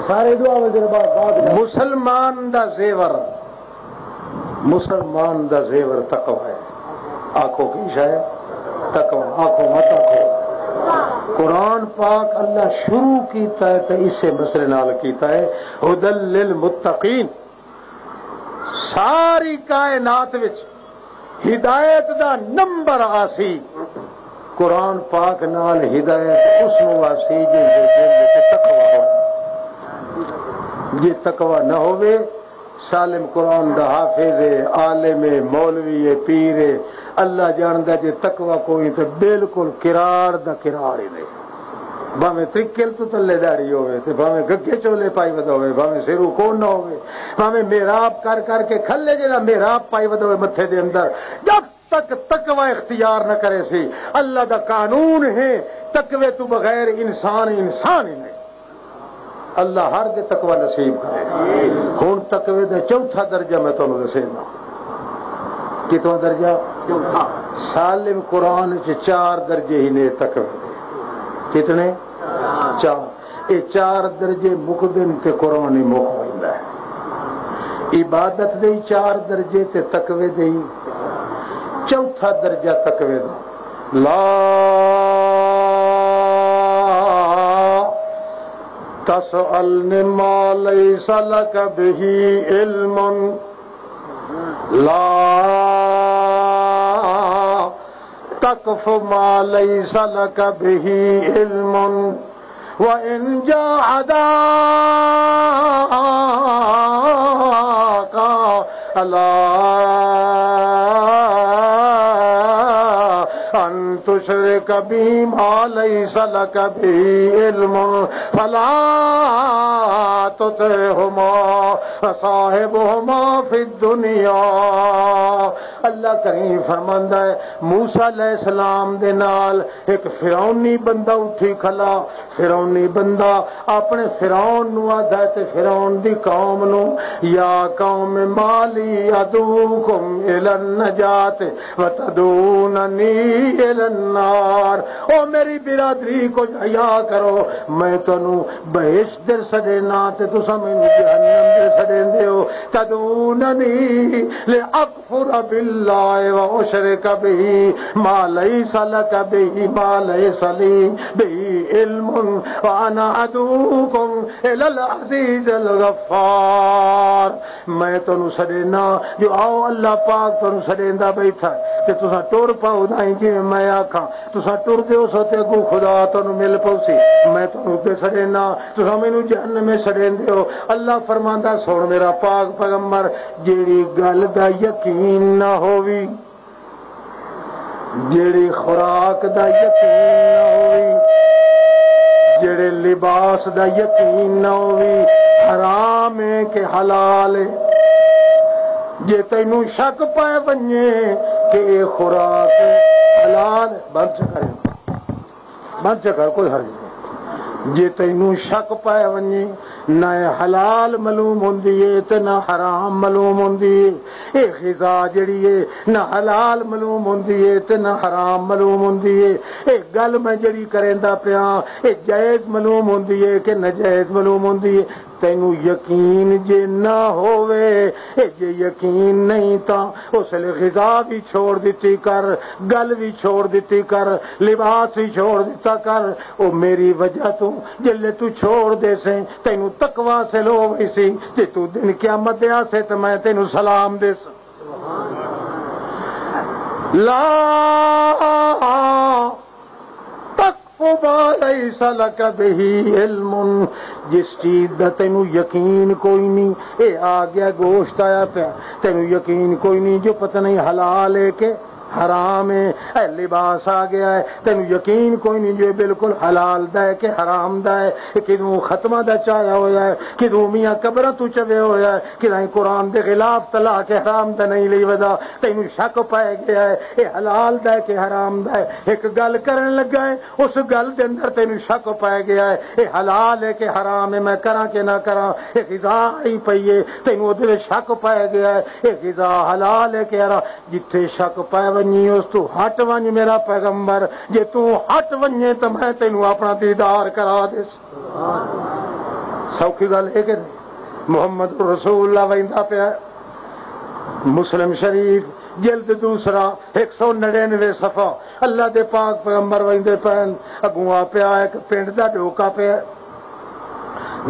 سارے ادھر آؤ، ادھر بعد، بعد میں۔ مسلمان دا زیور، مسلمان دا زیور تقوی ہے۔ آکھو کی شاید؟ تقوی۔ آکھو مت آکھو۔ قرآن پاک اللہ شروع کیتا ہے تے اسے مسئلے نال کیتا ہے، ہدی للمتقین۔ ساری کائنات وچ ہدایت دا نمبر آسی، قرآن پاک نال ہدایت اس نوں آسی جس دے دل وچ تقوی ہوئے۔ جے تقوی نہ ہوئے، سالم قرآن دا حافظ ہے، عالم ہے، مولوی ہے، پیر ہے، اللہ جاندا جے تقوی کوئی تے بالکل قرار دا قرار ہی نہیں۔ بھاویں ترکل تو تلے داڑھی ہوے، تے بھاویں گگے چولے پائی ودا ہوے، بھاویں سرو کون نہ ہوے، بھاویں محراب کر کر کے کھلے جڑا محراب پائی ودا ہوے متھے دے اندر، جب تک تقوی اختیار نہ کرے سی، اللہ دا قانون ہے، تقوی تو بغیر انسان انسان ہی نہیں۔ اللہ ہر دے تقوی نصیب کرے۔ ہن تقوی دا چوتھا درجہ میں تانوں دسینا۔ کتنا درجہ؟ سالم قرآن چ چار درجے ہی نے تقوی دے۔ کتنے؟ چار۔ اے چار درجے مکدن تے قرآن ہی مک ویندا ہے۔ عبادت دے ہی چار درجے تے تقوی دے ہی۔ چوتھا درجہ تقوی دا۔ لا تسألن ما ليس لك به علم۔ لا تقف ما ليس لك به علم۔ وَإِن جَاهَدَاكَ عَلَىٰ أَن تُشْرِكَ بِي مَا لَيْسَ لَكَ بِهِ عِلْمٌ فَلَا تُطِعْهُمَا وَصَاحِبْهُمَا فِي الدُّنْيَا۔ اللہ کریم فرماندا ہے، موسیٰ علیہ السلام دے نال ایک فرعونی بندہ اٹھی کھلا۔ فرعونی بندہ اپنے فرعون نو آدھا ہے تے فرعون دی قوم نو، یا قوم ما لی ادعوکم الی النجات وتدعوننی الی النار۔ او میری برادری، کچھ حیا کرو، میں تانوں بہشت دے سڈے نا تے تساں مینوں جہنم دے سڈے دیو۔ تدعوننی لاکفر باللہ واشرک بہ ما لیس لک بہ، ما لیس لی بہ علم، وانا ادعوکم الی العزیز الغفار۔ میں تانوں سڈینا جو آؤ، اللہ پاک تانوں سڈیندا بیٹھا ہے تے تساں ٹر پاؤ، نہ جویں میں آکھاں۔ تساں ٹردے ہو سو تے اگوں خدا تانوں مل پوسی۔ میں تانوں تے سڑینا، تساں مینوں جہنم وچ سڑیندے ہو۔ اللہ فرماندا، سن میرا پاک پیغمبر، جیڑی گل دا یقین نہ ہووی، جیڑی خوراک دا یقین نہ ہووی، جیڑے لباس دا یقین نہ ہووی، حرام ہے کہ حلال ہے، جے تینوں شک پے ونجے کہ اے خوراک حلال، بند چ کر، بند چ کر، کوئی حرج نہیں۔ جے تینوں شک پے ونجے، نہ اے حلال معلوم ہوندی ہے تے نہ حرام معلوم ہوندی ہے۔ اے غذا جڑی ہے، نہ حلال معلوم ہوندی ہے تے نہ حرام معلوم ہوندی ہے۔ اے گل میں جڑی کریندا پیاں، اے جائز معلوم ہوندی ہے کہ ناجائز معلوم ہوندی ہے۔ تینوں یقین جے نہ ہووے، اے جے یقین نہیں تاں اس لے غذا بھی چھوڑ دتی کر، گل بھی چھوڑ دتی کر، لباس بھی چھوڑ دتا کر۔ او میری وجہ تو جلے تو چھوڑ دے سے، تینوں تقوی حاصل ہو گئی سی، تے تو دن قیامت دے آسے تے میں تینوں سلام دے ساں۔ لا تقف ما لیس لک بہ علم، جس چیز دا تینوں یقین کوئی نہیں، اے آ گیا، گوشت آیا پیا، تینوں یقین کوئی نہیں جو پتہ نہیں حلال ہے کہ حرام ہے، اے لباس آ گیا ہے، تینوں یقین کوئی نہیں جو اے بالکل حلال دا ہے کہ حرام دا ہے، اے کدوں ختمہ دا چایا ہویا ہے، کدوں میاں قبراں تو چوے ہویا ہے، کدائیں قرآن دے خلاف تلا کے حرام دا نہیں لئی ودا، تینوں شک پے گیا ہے، اے حلال دا ہے کہ حرام دا ہے۔ ایک گل کرن لگا ہے، اس گل دے اندر تینوں شک پے گیا ہے، اے حلال ہے کہ حرام ہے، میں کراں کہ نہ کراں، اے غذا آئی پئی ہے، تینوں اودے وچ شک پے گیا ہے، اے غذا حلال ہے کہ حرام۔ جتھے شک پے ونجی، اس تو ہٹ ونج میرا پیغمبر، جے تو ہٹ ونجے تو میں تینوں اپنا دیدار کرا دے۔ سوکھی گل ہے کہ نہیں؟ محمد رسول اللہ ویندا پیا۔ مسلم شریف، جلد دوسرا، ایک سو نڑینوے صفحہ، اللہ دے پاک پیغمبر ویندے پین، اگوں آ پیا ایک پنڈ دا ڈوکا پیا۔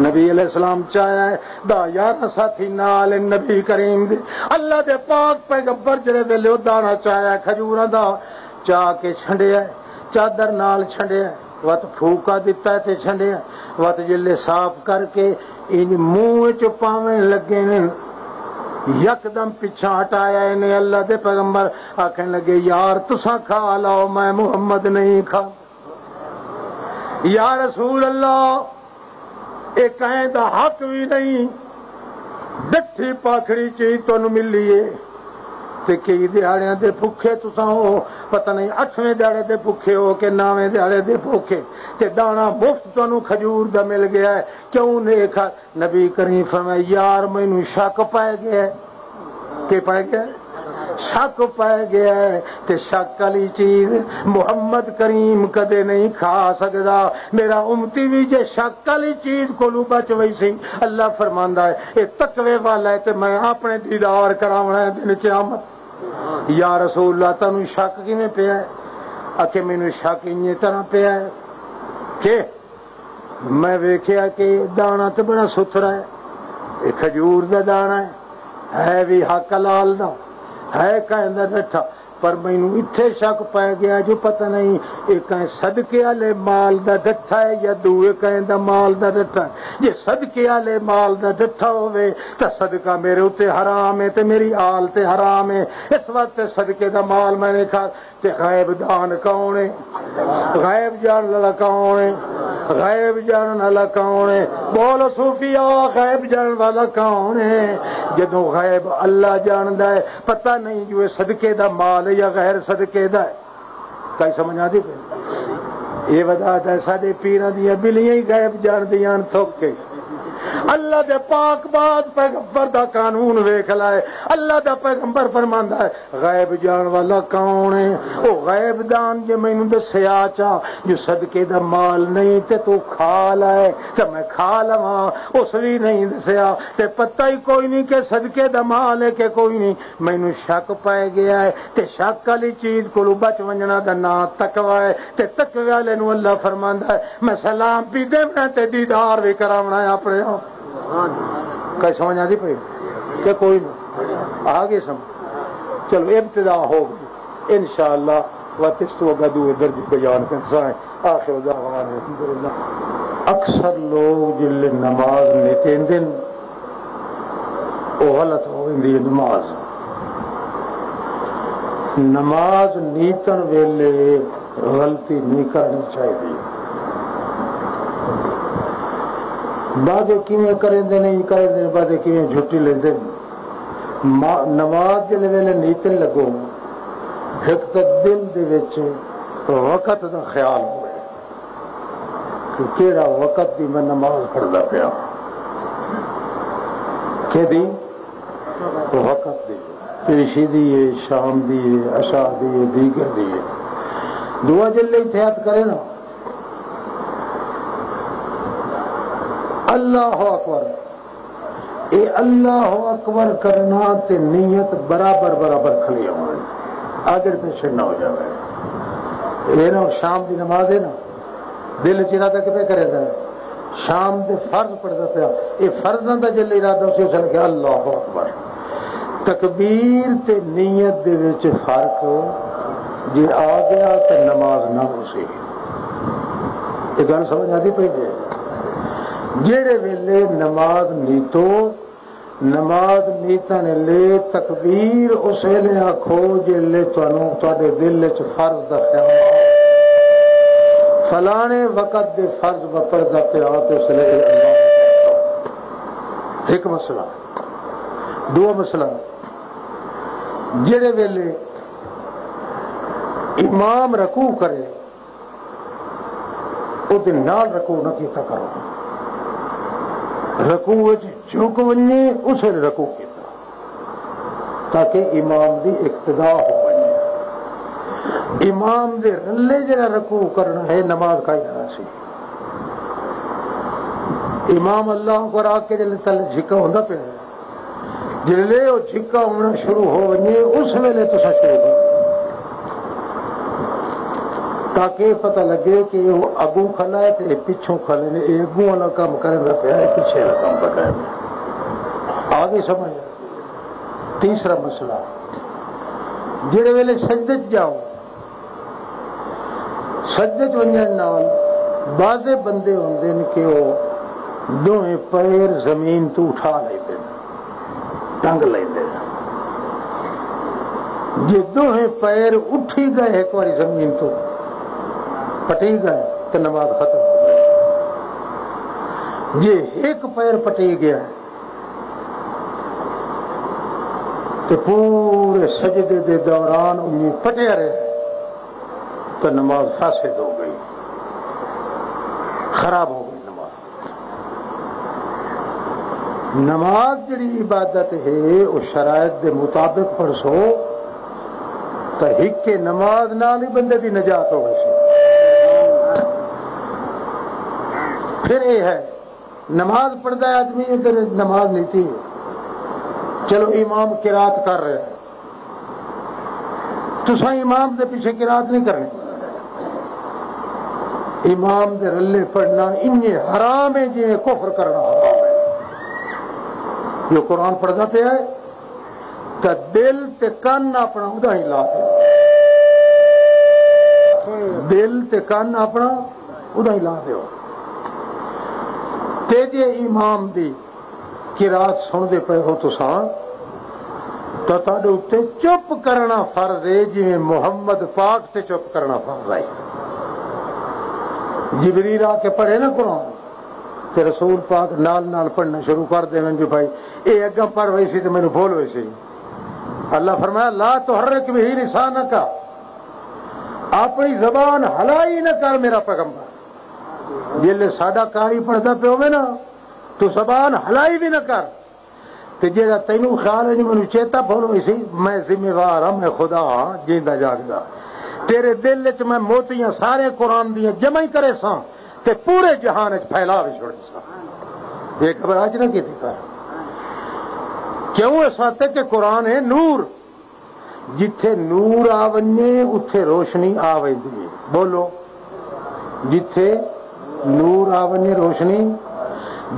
نبی علیہ السلام چاہیا ہے، دا یارہ ساتھی نال نبی کریم دے۔ اللہ دے پاک پیغمبر جڑے ویلے او دانا چاہیا ہے کھجوراں دا، چا کے چھنڈیا ہے، چادر نال چھنڈیا ہے، وت پھوکا دتا ہے تے چھنڈیا ہے، وت جلے صاف کر کے انج منہ وچ پاون لگے نے، یکدم پچھا ہٹایا انہیں۔ اللہ دے پیغمبر آکھن لگے، یار تساں کھا لو، میں محمد نہیں کھا۔ یا رسول اللہ، اے کہیں دا حق بھی نہیں، ڈٹھی پاکھڑی چیز تانوں ملی ہے۔ تے کئی دیہاڑیاں دے بھکھے تساں ہو، پتہ نہیں اٹھویں دیہاڑے دے بھکھے ہو کہ نویں دیہاڑے دے بھکھے، تے دانا مفت تانوں کھجور دا مل گیا ہے، کیوں نہیں کھا؟ نبی کریم فرمایا، یار مینوں شک پے گیا ہے۔ کہ پے گیا ہے؟ شک پے گیا ہے، تے شک والی چیز محمد کریم کدے نہیں کھا سکدا۔ میرا امتی بھی جے شک والی چیز کولوں بچ ویسی، اللہ فرماندا ہے، اے تقوی والا ہے تے میں اپنے دیدار کراونا ہے دن قیامت۔ یا رسول اللہ، تانوں شک کیویں پیا ہے؟ آکھے، مینوں شک انجے طرح پیا ہے کہ میں ویکھیا کہ دانا تے بڑا ستھرا ہے، اے کھجور دا دانا ہے، ہے بھی حق حلال دا، ہے کہیں دا ڈٹھا، پر مینوں اتھے شک پے گیا جو پتہ نہیں، ایک ہے صدقے والے مال دا ڈٹھا ہے یا دوئے کہیں دا مال دا ڈٹھا ہے۔ جے صدقے والے مال دا ڈٹھا ہووے، تاں صدقہ میرے اُتے حرام ہے تے میری آل تے حرام ہے۔ اس واسطے صدقے دا مال میں نہیں کھا۔ تے غیب دان کون ہے؟ غیب جانن والا کون ہے؟ غیب جانن والا کون ہے؟ بول صوفیا، غیب جانن والا کون ہے؟ جدوں غیب اللہ جاندا ہے، پتہ نہیں جو اے صدقے دا مال ہے یا غیر صدقے دا ہے۔ کئی سمجھ آندی پئی؟ یہ وجہ ہے ساڈے پیراں دیاں بلیاں ہی غیب جاندیاں ہن تھک کے۔ اللہ دے پاک باز پیغمبر دا قانون ویکھ لائے۔ اللہ دا پیغمبر فرماندا ہے، غیب جان والا کون ہے؟ او غیب دان جے مینوں دسیا چا جو صدقے دا مال نہیں تے تو کھا لائے تے میں کھا لواں، اس وی نہیں دسیا تے پتہ ہی کوئی نہیں کہ صدقے دا مال ہے کہ کوئی نہیں۔ مینوں شک پے گیا ہے تے شک والی چیز کولوں بچ ونجنا دا نام تقوی ہے تے تقوی والے نوں اللہ فرماندا ہے، میں سلام بھی دیونا تے دیدار بھی کراونا ہے اپنے آپ۔ کئی سمجھ آندی پئی کہ کوئی نہ؟ آ گئی سمجھ؟ چلو، ابتدا ہو گئی، انشاءاللہ وقت اس تو اگا دوئے درج بیان کرساں۔ آخر دعوانا الحمدللہ۔ اکثر لوگ جلے نماز نتیندن، او غلط ہو ویندی ہے نماز۔ نماز نیتن ویلے غلطی نہیں کرنی چاہیے۔ بعضے کیویں کریندے نے، انج کریندے نے، بعضے کیویں جھٹی لیندے نے۔ ما-، نماز جلے ویلے نیتن لگو، ایک تے دل دے وچ وقت دا خیال ہوئے کہ کیڑا وقت دی میں نماز پڑھدا پیا۔ کہ دی وقت دی، پیشی دی ہے، شام دی ہے، عشاء دی ہے، دیگر دی ہے۔ دعا جلے اتحاد کرے نا، اللہ اکبر، اے اللہ اکبر کرنا تے نیت برابر برابر کھڑی ہونی، آگے پیچھے نہ ہو جائے۔ اے نا شام دی نماز ہے نا، دل چ ارادہ کتے کرے دا ہے؟ شام دے فرض پڑھدا پیا، اے فرضاں دا جل ارادہ اسی اس نے کہا اللہ اکبر۔ تکبیر تے نیت دے وچ فرق جے آ گیا تے نماز نہ ہو سی۔ یہ گل سمجھ آتی پئی جے؟ جیڑے ویلے نماز نیتو، نماز نیتن لے تکبیر اس ویلے آکھو جلے تانوں تہاڈے دل وچ فرض دا خیال آوے۔ فلانے وقت دے فرض میں پڑھدا پیا تے اس ویلے اے اللہ اکبر۔ ایک مسئلہ۔ دو مسئلہ، جڑے ویلے امام رکوع کرے، او دے نال رکوع نہ کیتا کرو۔ رکوع وچ جھک ونجے، اس ویلے رکوع کیتا، تاکہ امام دی اقتدا ہو ونجے۔ امام دے رلے جڑا رکوع کرنا ہے، نماز کا ہی نہ سی۔ امام اللہ کو راک کے جلے تل جھکا ہوندا پیا ہے۔ جلے او جھکا ہونا شروع ہو ونجے، اس ویلے تساں شروع کرو، تاکہ پتہ لگے کہ وہ اگوں کھلا ہے تے پچھوں کھلے نے، یہ اگوں والا کام کرن دا پیا ہے، پچھے والا کام پتہ ہے۔ آ گئی سمجھ؟ تیسرا مسئلہ، جڑے ویلے سجدے چ جاؤ، سجدے چ ونجن نال بعضے بندے ہوندے نے کہ وہ دوہیں پیر زمین تو اٹھا لیندے نے، ٹنگ لیندے نے۔ جے دوہیں پیر اٹھی گئے ایک واری زمین تو، پٹی گئے، تے نماز ختم ہو گئی۔ جے ایک پیر پٹی گیا، تے پورے سجدے دے دوران انہیں پٹیا رہے، تو نماز فاسد ہو گئی، خراب ہو گئی نماز۔ نماز جڑی عبادت ہے، وہ شرائط دے مطابق پڑھسو، تو ہک کے نماز نال ہی بندے دی نجات ہو گئی سی۔ پھر یہ ہے، نماز پڑھدا ہے آدمی، ادھر نماز نیتی ہے۔ چلو، امام قرات کر رہے ہیں، تساں امام دے پیچھے قرات نہیں کرنی۔ امام دے رلے پڑھنا انجے حرام ہے جویں کفر کرنا حرام ہے۔ جو قرآن پڑھدا پیا ہے، تے دل تے کن اپنا ادا ہی لا دیو۔ دل تے کن اپنا ادا ہی لا دیو۔ تے جے امام دی قرات سن دے پے ہو تساں، تو تہاڈے اُتے چپ کرنا فرض ہے، جویں محمد پاک تے چپ کرنا فرض ہے۔ جبریل آ کے پڑھے نا قرآن، تے رسول پاک نال نال پڑھنا شروع کر دیون جو بھائی، اے اگاں پڑھ ویسی تے مینوں بھول ویسی۔ اللہ فرمایا، "لا تحرک به لسانک"، اپنی زبان ہلائی نہ کر میرا پیغمبر۔ جیلے ساڈا قاری پڑھدا پیا ہوے نا، تو زبان ہلائی بھی نہ کر۔ تے جیڑا تینوں خیال ہے جو مینوں چیتا بھول ہوئی سی، میں ذمہ وار ہاں، میں خدا ہاں جیندا جاگدا۔ تیرے دل وچ میں موتیاں سارے قرآن دیاں جمع ہی کرے ساں، تے پورے جہان وچ پھیلا بھی چھوڑے ساں۔ یہ گھبراہٹ نہ کیتی کر۔ کیوں؟ اس واسطے کہ قرآن ہے نور۔ جتھے نور آ ونجے، اتھے روشنی آ ویندی ہے۔ بولو، جتھے نور آ ونجے، روشنی۔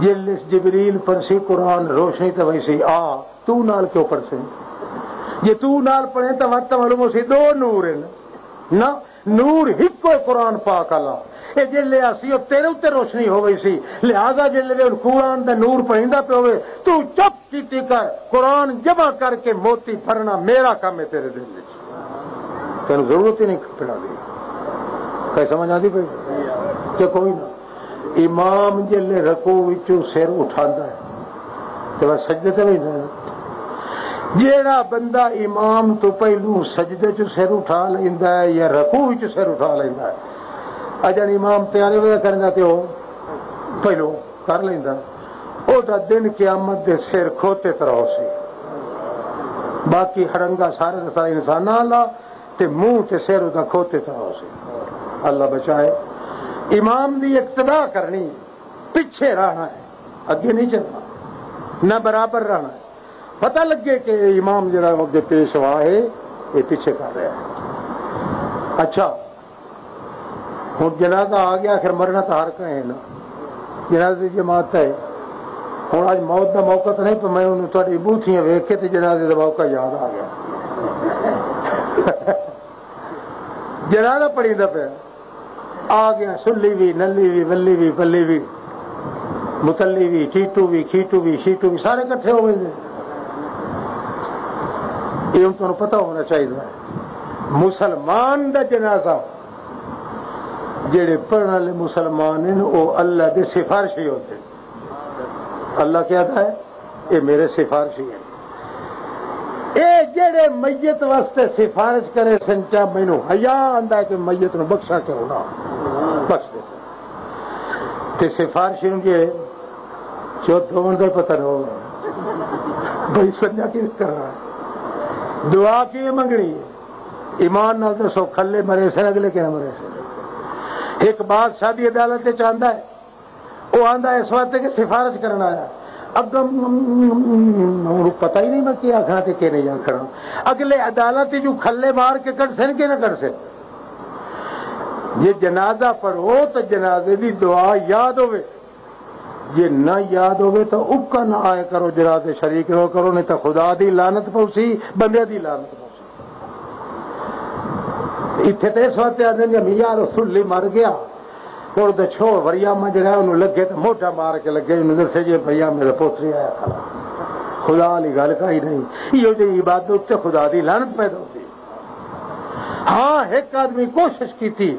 جلس جبریل پڑھسی قرآن، روشنی تے ویسی آ، تو نال کیوں پڑھسے؟ جے تو نال پڑھے تاں وقت معلوم ہو سی دو نور ہیں۔ نہ، نور ہکو قرآن پاک والا۔ اے جلے آسی او تیرے اُتے روشنی ہو گئی سی، لہذا جلے وی قرآن دا نور پڑھیندا پیا ہوے، تو چپ کیتی کر، قرآن جمع کر کے موتی بھرنا میرا کام ہے تیرے دل وچ۔ تینوں ضرورت ہی نہیں کپڑا دی۔ کئی سمجھ آندی پئی؟ تے کوئی نہ۔ امام جلے رکوع وچوں سر اٹھاندا ہے، تے بس سجدے تے ویندا ہے۔ جیڑا بندہ امام تو پہلو سجدے چ سر اٹھا لیندا ہے یا رکوع وچ سر اٹھا لیندا ہے، اجن امام تیارے وے کرنا تے او پہلو کر لیندا، او دا دن قیامت دے سر کھوتے طرح ہو سی۔ باقی ہڑنگا سارے دا سارا انساناں والا تے منہ تے سر او دا کھوتے طرح ہو سی۔ اللہ بچائے۔ امام دی اقتدا کرنی، پیچھے رہنا ہے، اگے نہیں چلنا، نہ برابر رہنا ہے۔ پتہ لگے کہ امام جڑا وہ اگے پیش ہوا ہے، یہ پیچھے کر رہا ہے۔ اچھا، ہن جنازہ آ گیا، آخر مرنا تو ہر کہیں ہے نا، جنازے دی جماعت ہے۔ ہن اج موت دا موقع تو نہیں، پر میں انہوں تہاڈی بوتھیاں ویکھ کے تے جنازے دا موقع یاد آ گیا۔ جنازہ پڑھیندا پیا، آ گیا سلی وی، نلی وی، ولی وی، پلی وی، متلی وی، ٹیٹو وی، کھیٹو وی، شیٹو وی، سارے کٹھے ہو گئے۔ یہ ہن تہانوں پتہ ہونا چاہیے، مسلمان دا جنازہ جڑے پڑھن والے مسلمان ہیں، وہ اللہ دے سفارشی ہوتے ہیں۔ اللہ کیا ہے؟ یہ میرے سفارشی ہیں۔ اے جڑے میت واسطے سفارش کرے سن، چا مینوں حیا آندا ہے کہ میت نوں بخشا کیوں نہ بخش دے سن۔ تے سفارشی نوں جے چوت دون دے پتہ نہ ہو بھائی سنجا کی کرنا ہے۔ دعا کی منگنی ہے؟ ایمان نال دسو، کھلے مرے سن، اگلے کیا مرے سن؟ ایک بادشاہ دی عدالت وچ آندا ہے، وہ آندا ہے اس واسطے کہ سفارش کرنا آیا۔ اگم انہوں پتہ ہی نہیں میں کیا آخنا تے کیا نہیں آخنا۔ اگلے عدالت جو کھلے مار کے کٹ سن کہ نہ کٹ سن۔ یہ جنازہ پڑھو تو جنازے دی دعا یاد ہوئے، جے نہ یاد ہوئے تو اکا نہ آیا کرو، جنازے شریک رہو کرو، نہیں تو خدا دی لعنت پوسی، بندے دی لعنت پوسی۔ اتھے تے اس واسطے آندے نے، میاں رسول اللہ مر گیا، اور دے چھو وریا میں جڑا انہوں لگے تے موٹا مار کے لگے، انہوں دسے جے بھیا میرا پوتری آیا کھڑا۔ خدا علی گل کا ہی نہیں، یہ جو عبادت تے خدا دی لعنت پیدا ہوتی۔ ہاں، ایک آدمی کوشش کی تھی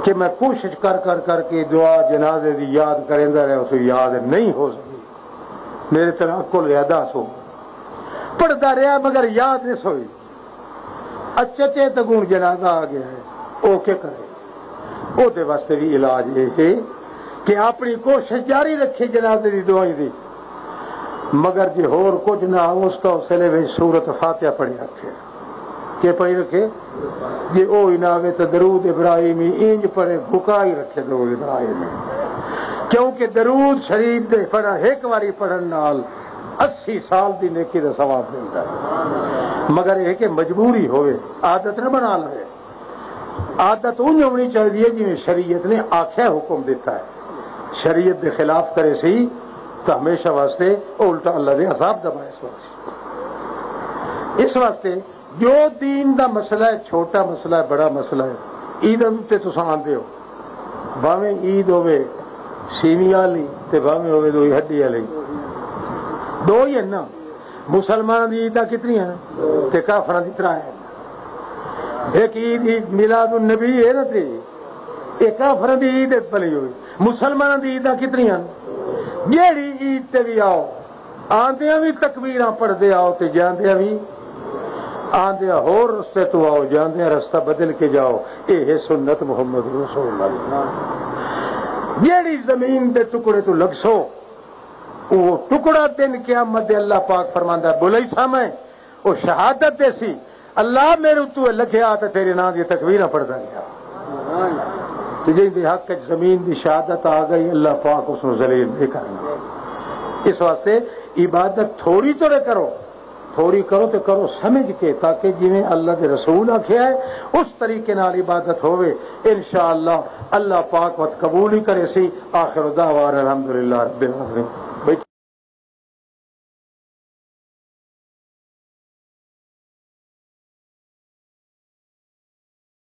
کہ میں کوشش کر کر کر کے دعا جنازے دی یاد کریندا رہا، اسے یاد نہیں ہو سکی۔ میرے طرح عقل زیادہ سو پڑھدا رہا مگر یاد نہیں سوئی۔ اچھا چے تگون جنازہ آ گیا ہے، او کیا کرے؟ او دے واسطے بھی علاج یہ ہے کہ اپنی کوشش جاری رکھے جنازے دی دعائی دی، مگر جے ہور کچھ نہ ہو اس کا حوصلے وچ سورت فاتحہ پڑھی رکھے۔ کہ پڑھی رکھے؟ جے او ہی نہ آوے تو درود ابراہیمی اینج پڑھے، گھکا ہی رکھے درود ابراہیمی، کیونکہ درود شریف دے پڑھا ایک واری پڑھن نال اسی سال دی نیکی دا ثواب ملدا ہے۔ مگر یہ کہ مجبوری ہوئے، عادت نہ بنا لے۔ عادت اونج ہونی چاہیے جویں شریعت نے آکھیا، حکم دیتا ہے۔ شریعت دے خلاف کرے سی تو ہمیشہ واسطے الٹا اللہ دے عذاب دا باعث ہو سی۔ اس واسطے جو دین دا مسئلہ ہے، چھوٹا مسئلہ ہے، بڑا مسئلہ ہے، عید تے تساں آندے ہو، بھاویں عید ہوے سیویاں والی تے بھاویں ہوے دوئی ہڈی والی، دو ہی ہیں نا۔ مسلماناں دی عیداں کتنی ہیں؟ تے کافراں دی ترائے ہیں۔ ایک عید، عید میلاد النبی ہے نا، تے یہ کافراں دی عید بنی ہوئی۔ مسلماناں دی عیداں کتنی ہیں؟ جیڑی عید تے بھی آؤ، آندیاں بھی تکبیراں پڑھدے آؤ تے جاندیاں بھی، آندیاں ہور رستے تو آؤ، جاندیاں رستہ بدل کے جاؤ۔ اے ہے سنت محمد رسول اللہ۔ جیڑی زمین دے ٹکڑے تو لگسو، وہ ٹکڑا دن قیامت دے اللہ پاک فرماندا ہے، بولی سامے، وہ شہادت دے سی، اللہ میرے اتو لکھیا تے تیرے نام دی تکبیراں پڑھدا گیا۔ تے جن دے حق وچ زمین دی شہادت آ گئی، اللہ پاک اس نوں ذلیل نہیں کرنا۔ اس واسطے عبادت تھوڑی توڑے کرو، تھوڑی کرو تے کرو سمجھ کے، تاکہ جویں اللہ دے رسول آکھیا ہے، اس طریقے نال عبادت ہووے۔ انشاءاللہ اللہ پاک وت قبول ہی کرے سی۔ آخر دعوانا الحمدللہ رب العالمین۔